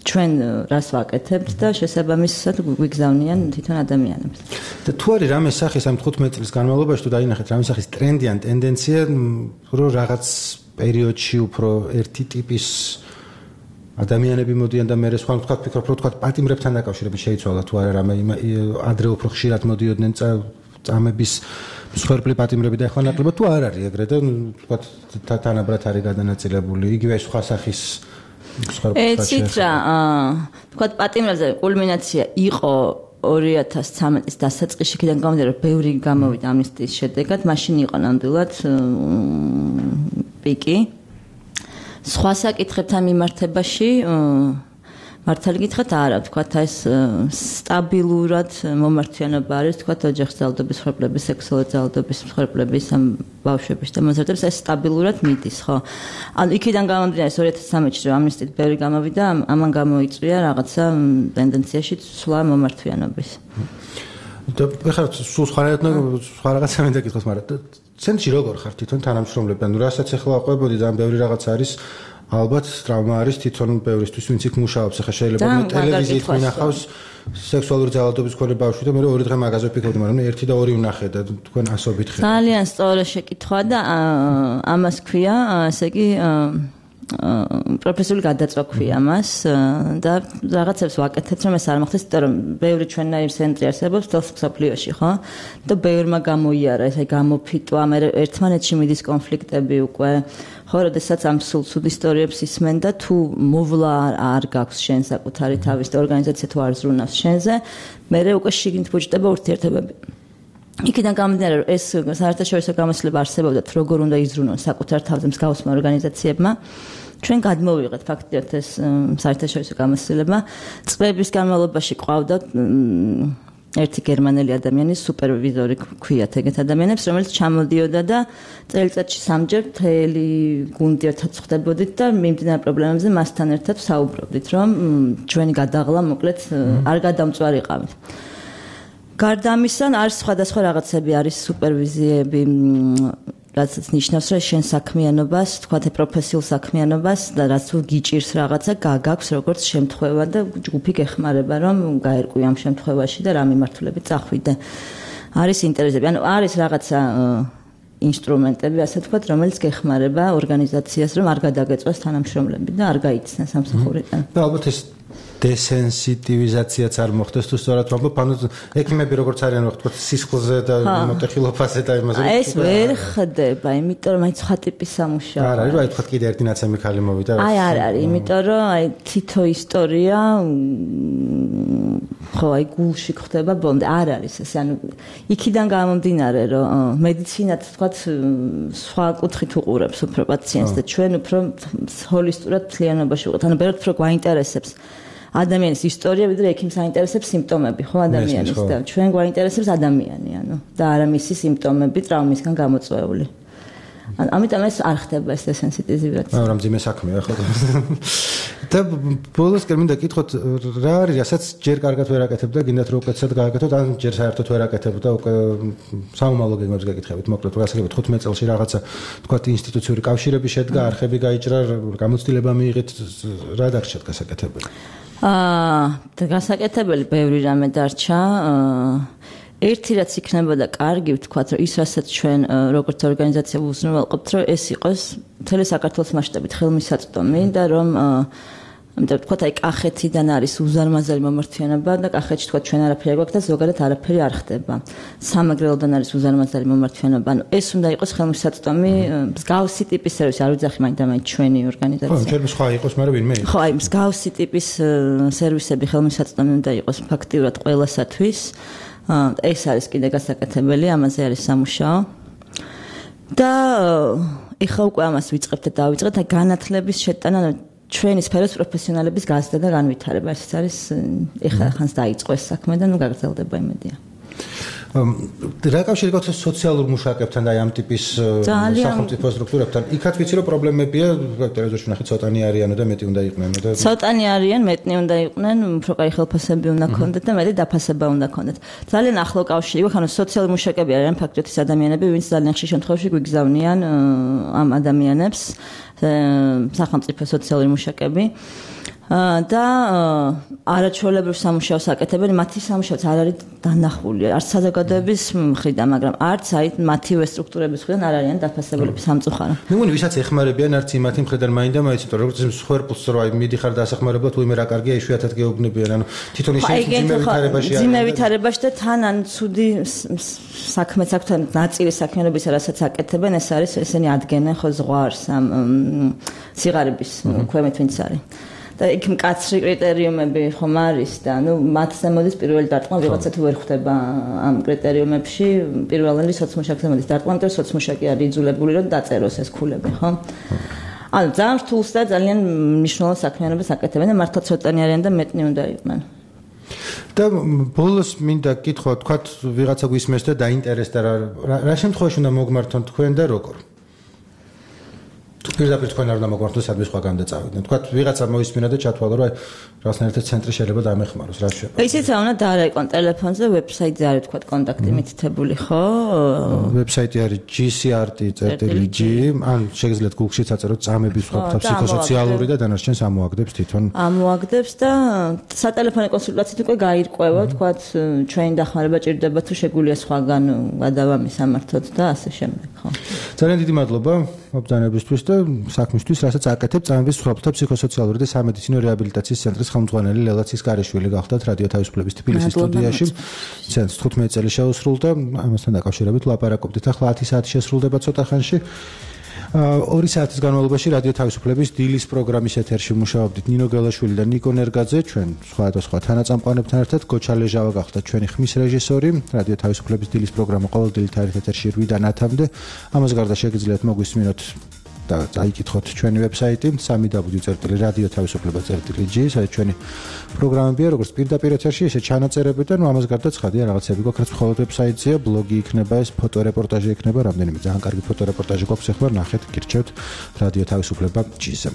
ჩვენ რას ვაკეთებთ და შესაბამისად გვიგზავნიან თვითონ ადამიანებს. და თუ არის რამე სახის ამ თხუთმეტ წლის განმავლობაში თუ დაინახეთ რამე სახის ტრენდი ან ტენდენცია რომ რაღაც პერიოდში უფრო ერთი ტიპის ადამიანები მოდიან და მე სხვა ვთქვათ ფიქრობ რომ ვთქვათ პატიმრებთან დაკავშირებით შეიცვალა თუ არა რამე ადრე უფრო ხშირად მოდიოდნენ წამების მსხვერპლი პატიმრები და ახლა ნაკლებად თუ არ არის ეგრე და ვთქვათ თანაბრად არის გადანაწილებული იგივე სხვა სახის ეცით რა ვთქვათ პატიმრებზე კულმინაცია იყო ორი ათას ცხრამეტის დასაწყისში კიდე გამოდიოდა ბევრი გამოვიდა ამნისტიის შედეგად მაშინ იყო ნამდვილად პიკი სხვა საკითხებთან მიმართებაში მართალი გითხრათ არა ვთქვათ ეს სტაბილურად მომართიანობა არის ვთქვათ ოჯახის ძალადობის მსხვერპლების სექსუალური ძალადობის მსხვერპლების ამ ბავშვების და მოზარდების ეს სტაბილურად მიდის ხო ანუ იქიდან გამომდინარე ორი ათას ცხრამეტში რომ ამნისტიით ბევრი გამოვიდა ამან გამოიწვია რაღაცა ტენდენციაში ცვლა მომართვიანობის და ხარ სულ სხვა სხვა რაღაცა მინდა გითხოს მაგრამ ცენტრში როგორ ხარ თვითონ თანამშრომლები ანუ რასაც ახლა აყვებოდი ძალიან ბევრი რაღაც არის ალბათ ტრავმა არის თვითონ ბევრისთვის ვინც იქ მუშაობს ახლა შეიძლება ტელევიზიით მინახავს სექსუალური ძალადობის მქონე ბავშვი და მე ორი დღე მაგაზე ვფიქრობდი მაგრამ ერთი და ორი ვნახე და თქვენ ასობით ხარ ძალიან სწორი შეკითხვა და ამას ქვია ესე იგი პროფესიული გადაწვა ქვია მას და რაღაცებს ვაკეთებთ რომ ეს არ მოხდეს, იმიტომ რომ ბევრი ჩვენნაირი ცენტრი არსებობს თელს მსოფლიოში, ხო? და ბევრმა გამოიარა ეს აი გამოფიტვა, მე ერთმანეთში მიდის კონფლიქტები უკვე. ხო, როდესაც ამ სულ სულ ისტორიებს ისმენ და თუ მოვლა არ გაქვს შენ საკუთარი თავის და ორგანიზაცია თუ არ ზრუნავს შენზე, მე უკვე შიგნით ბუჯდება ურთიერთობები. იქიდან გამომდინარე რომ ეს საერთაშორისო გამოცდილება არსებობდათ, როგორ უნდა იზრუნონ საკუთარ თავზე მსგავსმა ორგანიზაციებმა. ჩვენ გადმოვიღეთ ფაქტიურად ეს საერთაშორისო გამოცდილება. წლების განმავლობაში ყავდათ ერთი გერმანელი ადამიანი, სუპერვიზორი ქვიათ ეგეთ ადამიანებს, რომელიც ჩამოდიოდა და წელიწადში სამჯერ მთელი გუნდი ერთად ხვდებოდით და მიმდინარე პრობლემებზე მასთან ერთად საუბრობდით, რომ ჩვენი გადაღლა მოკლედ არ გადამწვარიყავით. გარდა ამისა, არის სხვადასხვა რაღაცები, არის სუპერვიზიები, რაც ნიშნავს, რომ შენ საქმიანობას, თქვათ პროფესიულ საქმიანობას და რაც თუ გიჭირს რაღაცა, გაგაქვს როგორც შემთხვევა და ჯგუფი გეხმარება, რომ გაერკვი ამ შემთხვევაში და რა მიმართულებით წახვიდე. არის ინტერესები, ანუ არის რაღაცა ინსტრუმენტები, ასე ვთქვათ, რომელიც გეხმარება ორგანიზაციას, რომ არ გადაგეწვას თანამშრომლები და არ გაიცნეს სამსახურიდან. და ალბათ ეს დესენსიტივიზაციაც არ მოხდეს თუ სწორად ვამბობ, ანუ ექიმები როგორც არიან ვთქვათ სისხლზე და მოტეხილობაზე და იმაზე. ეს ვერ ხდება, იმიტომ რომ აი სხვა ტიპის სამუშაო. არ არის, აი ვთქვათ კიდე ერთი ნაცემი ხალი მოვიდა. აი არ არის, იმიტომ რომ აი თითო ისტორია ხო აი გულში ხდება ბოლომდე არ არის ეს, ანუ იქიდან გამომდინარე, რომ მედიცინაც ვთქვათ სხვა კუთხით უყურებს უფრო პაციენტს და ჩვენ უფრო ჰოლისტურად მთლიანობაში ვიყავთ, ანუ ბევრად უფრო გვაინტერესებს ადამიანის ისტორია, ვიდრე ექიმს აინტერესებს სიმპტომები, ხო ადამიანის და ჩვენ გვაინტერესებს ადამიანი, ანუ და არა მისი სიმპტომები ტრაუმისგან გამოწვეული. ამიტომ ეს არ ხდება ეს დესენსიტიზირება. მაგრამ ძიმე საქმეა ხო? და ბოლოს კი მინდა გითხოთ, რა არის, რასაც ჯერ კარგად ვერ აკეთებდა, გინდათ რომ უკეთესად გააკეთოთ, ან ჯერ საერთოდ ვერ აკეთებდა, უკვე საომალო გეგმებს გაკითხებით, მოკლედ გასაგებად ხუთმეტ წელში რაღაცა თქვათ ინსტიტუციური კავშირები შედგა, არხები გაიჭრა, გამოცდილება მიიღეთ, რა დარჩათ გასაკეთებელი? აა გასაკეთებელი ბევრი რამე დარჩა. ერთი რაც იქნებოდა კარგი, ვთქვათ, რომ ის რასაც ჩვენ როგორც ორგანიზაცია უზრუნველყოფთ, რომ ეს იყოს მთელი საქართველოს მასშტაბით ხელმისაწვდომი და რომ ამიტომ ვთქვათ, აი კახეთიდან არის უზარმაზარი მომართვიანობა და კახეთში ვთქვათ ჩვენ არაფერი არ გვაქვს და ზოგადად არაფერი არ ხდება. სამეგრელოდან არის უზარმაზარი მომართვიანობა, ანუ ეს უნდა იყოს ხელმისაწვდომი მსგავსი ტიპის სერვისი, არ ვიცი მაინც და მაინც ჩვენი ორგანიზაცია. ხო, ჩვენ სხვა იყოს, მაგრამ ვინმე იყოს. ხო, აი მსგავსი ტიპის სერვისები ხელმისაწვდომი უნდა იყოს ფაქტიურად ყველასათვის. ეს არის კიდე გასაკეთებელი, ამაზე არის სამუშაო. და ეხლა უკვე ამას ვიწყებთ და დავიწყეთ და განათლების შეტანა ჩვენი სფეროს პროფესიონალების გაზრდა და განვითარება. ეს არის ეხლა ხანს დაიწყო ეს საქმე და ნუ გაგრძელდება იმედია. რა კავშირი გაქვს სოციალურ მუშაკებთან და აი ამ ტიპის სახელმწიფო სტრუქტურებთან? იქაც ვიცი რომ პრობლემებია, ტელევიზორში ნახეთ ცოტანი არიანო და მეტი უნდა იყვნენ და ცოტანი არიან, მეტნი უნდა იყვნენ, უფრო კაი ხელფასები უნდა ქონდეთ და მეტი დაფასება უნდა ქონდეთ. ძალიან ახლო კავშირი გვაქვს, ანუ სოციალური მუშაკები არიან ფაქტობრივად ის ადამიანები, ვინც ძალიან ხშირ შემთხვევაში გვიგზავნიან ამ ადამიანებს, სახელმწიფო სოციალური მუშაკები. და არაჩვეულებრივ სამუშაოს აკეთებენ, მათი სამუშაოც არ არის დანახული, არც საზოგადოების მხრიდან, მაგრამ არც აი მათივე სტრუქტურების მხრიდან არ არიან დაფასებულები სამწუხარო. მე მგონი ვისაც ეხმარებიან არც იმათი მხრიდან მაინდა მაინც, იმიტომ რომ როგორც მსხვერპლს რო აი მიდიხარ დასახმარებლად, უიმე რა კარგია, იშვიათად გეუბნებიან, ანუ თვითონ ისინი ძიმე ვითარებაში არიან. ძიმე ვითარებაში და თან ან ცუდი საქმეც აქვს, თან ნაწილი საქმიანობისა, რასაც აკეთებენ, ეს არის ესენი ადგენენ ხო ზღვარს ამ სიღარიბის ქვემოთ ვინც არის. და იქ მკაცრი კრიტერიუმები ხომ არის და ნუ მათზე მოდის პირველი დარტყმა, ვიღაცა თუ ვერ ხვდება ამ კრიტერიუმებში, პირველი სოციმუშაკზე მოდის დარტყმა, იმიტომ რომ სოციმუშაკი არის იძულებული რომ დაწეროს ეს ქულები, ხო? ანუ ძალიან რთულს და ძალიან მნიშვნელოვან საქმიანობას აკეთებენ და მართლა ცოტანი არიან და მეტნი უნდა იყვნენ. და ბოლოს მინდა კითხვა, თქვათ ვიღაცა გვისმენს და დაინტერესდა რა რა შემთხვევაში უნდა მოგმართონ თქვენ და როგორ? პირდაპირ თქვენ არ უნდა მოგმართოს სადმე სხვა განდაწავიდნენ. თქვათ ვიღაცა მოისმინა და ჩათვალა რომ აი რაღაცნაირად ერთ ცენტრი შეიძლება დამეხმაროს, რა შეიძლება. ისიც უნდა დაარეკონ ტელეფონზე, ვებსაიტზე არის თქვათ კონტაქტი მითითებული, ხო? ვებსაიტი არის τζი სი არ ტი წერტილი ჯი, ან შეგიძლიათ Google-შიც აწეროთ წამების სხვა ფსიქოსოციალური და დანარჩენს ამოაგდებს თვითონ. ამოაგდებს და სატელეფონო კონსულტაციით უკვე გაირკვევა, თქვათ ჩვენი დახმარება ჭირდება თუ შეგვიძლია სხვაგან გადავამის სამართოთ და ასე შემდეგ. ხო. ძალიან დიდი მადლობა მობრძანებისთვის და საქმისთვის, რასაც აკეთებთ წამების მსხვერპლთა ფსიქოსოციალური და სამედიცინო რეაბილიტაციის ცენტრის ხელმძღვანელი ლელა ცისკარიშვილი გახდათ რადიო თავისუფლების თბილისის სტუდიაში. ცენტრს თხუთმეტი წელი შეუსრულდა, ამასთან დაკავშირებით ვლაპარაკობდით. ახლა ათი საათი შესრულდება ცოტა ხანში. ორი საათის განმავლობაში რადიო თავისუფლების დილის პროგრამის ეთერში მუშაობდით ნინო გელაშვილი და ნიკო ნერგაძე, ჩვენ სხვადასხვა თანაწამყვანებთან ერთად. გოჩა ლეჟავა გახდა ჩვენი ხმის რეჟისორი. რადიო თავისუფლების დილის პროგრამა ყოველდღიურ ეთერში რვიდან ათამდე. ამას გარდა შეგიძლიათ მოგვისმინოთ და წაიკითხოთ ჩვენი ვებსაიტი სამი დაბლიუ წერტილი რადიო თავისუფლება წერტილი ჯი, სადაც ჩვენი პროგრამებია, როგორც პირდაპირ ეთერში, ისე ჩანაწერები და ნუ ამას გარდა ცხადია რაღაცები გვაქვს, რაც მხოლოდ ვებსაიტზეა, ბლოგი იქნება, ეს ფოტორეპორტაჟი იქნება, რამდენიმე ძალიან კარგი ფოტორეპორტაჟი გვაქვს, ახლა ნახეთ, გირჩევთ რადიო თავისუფლება ჯი-ზე.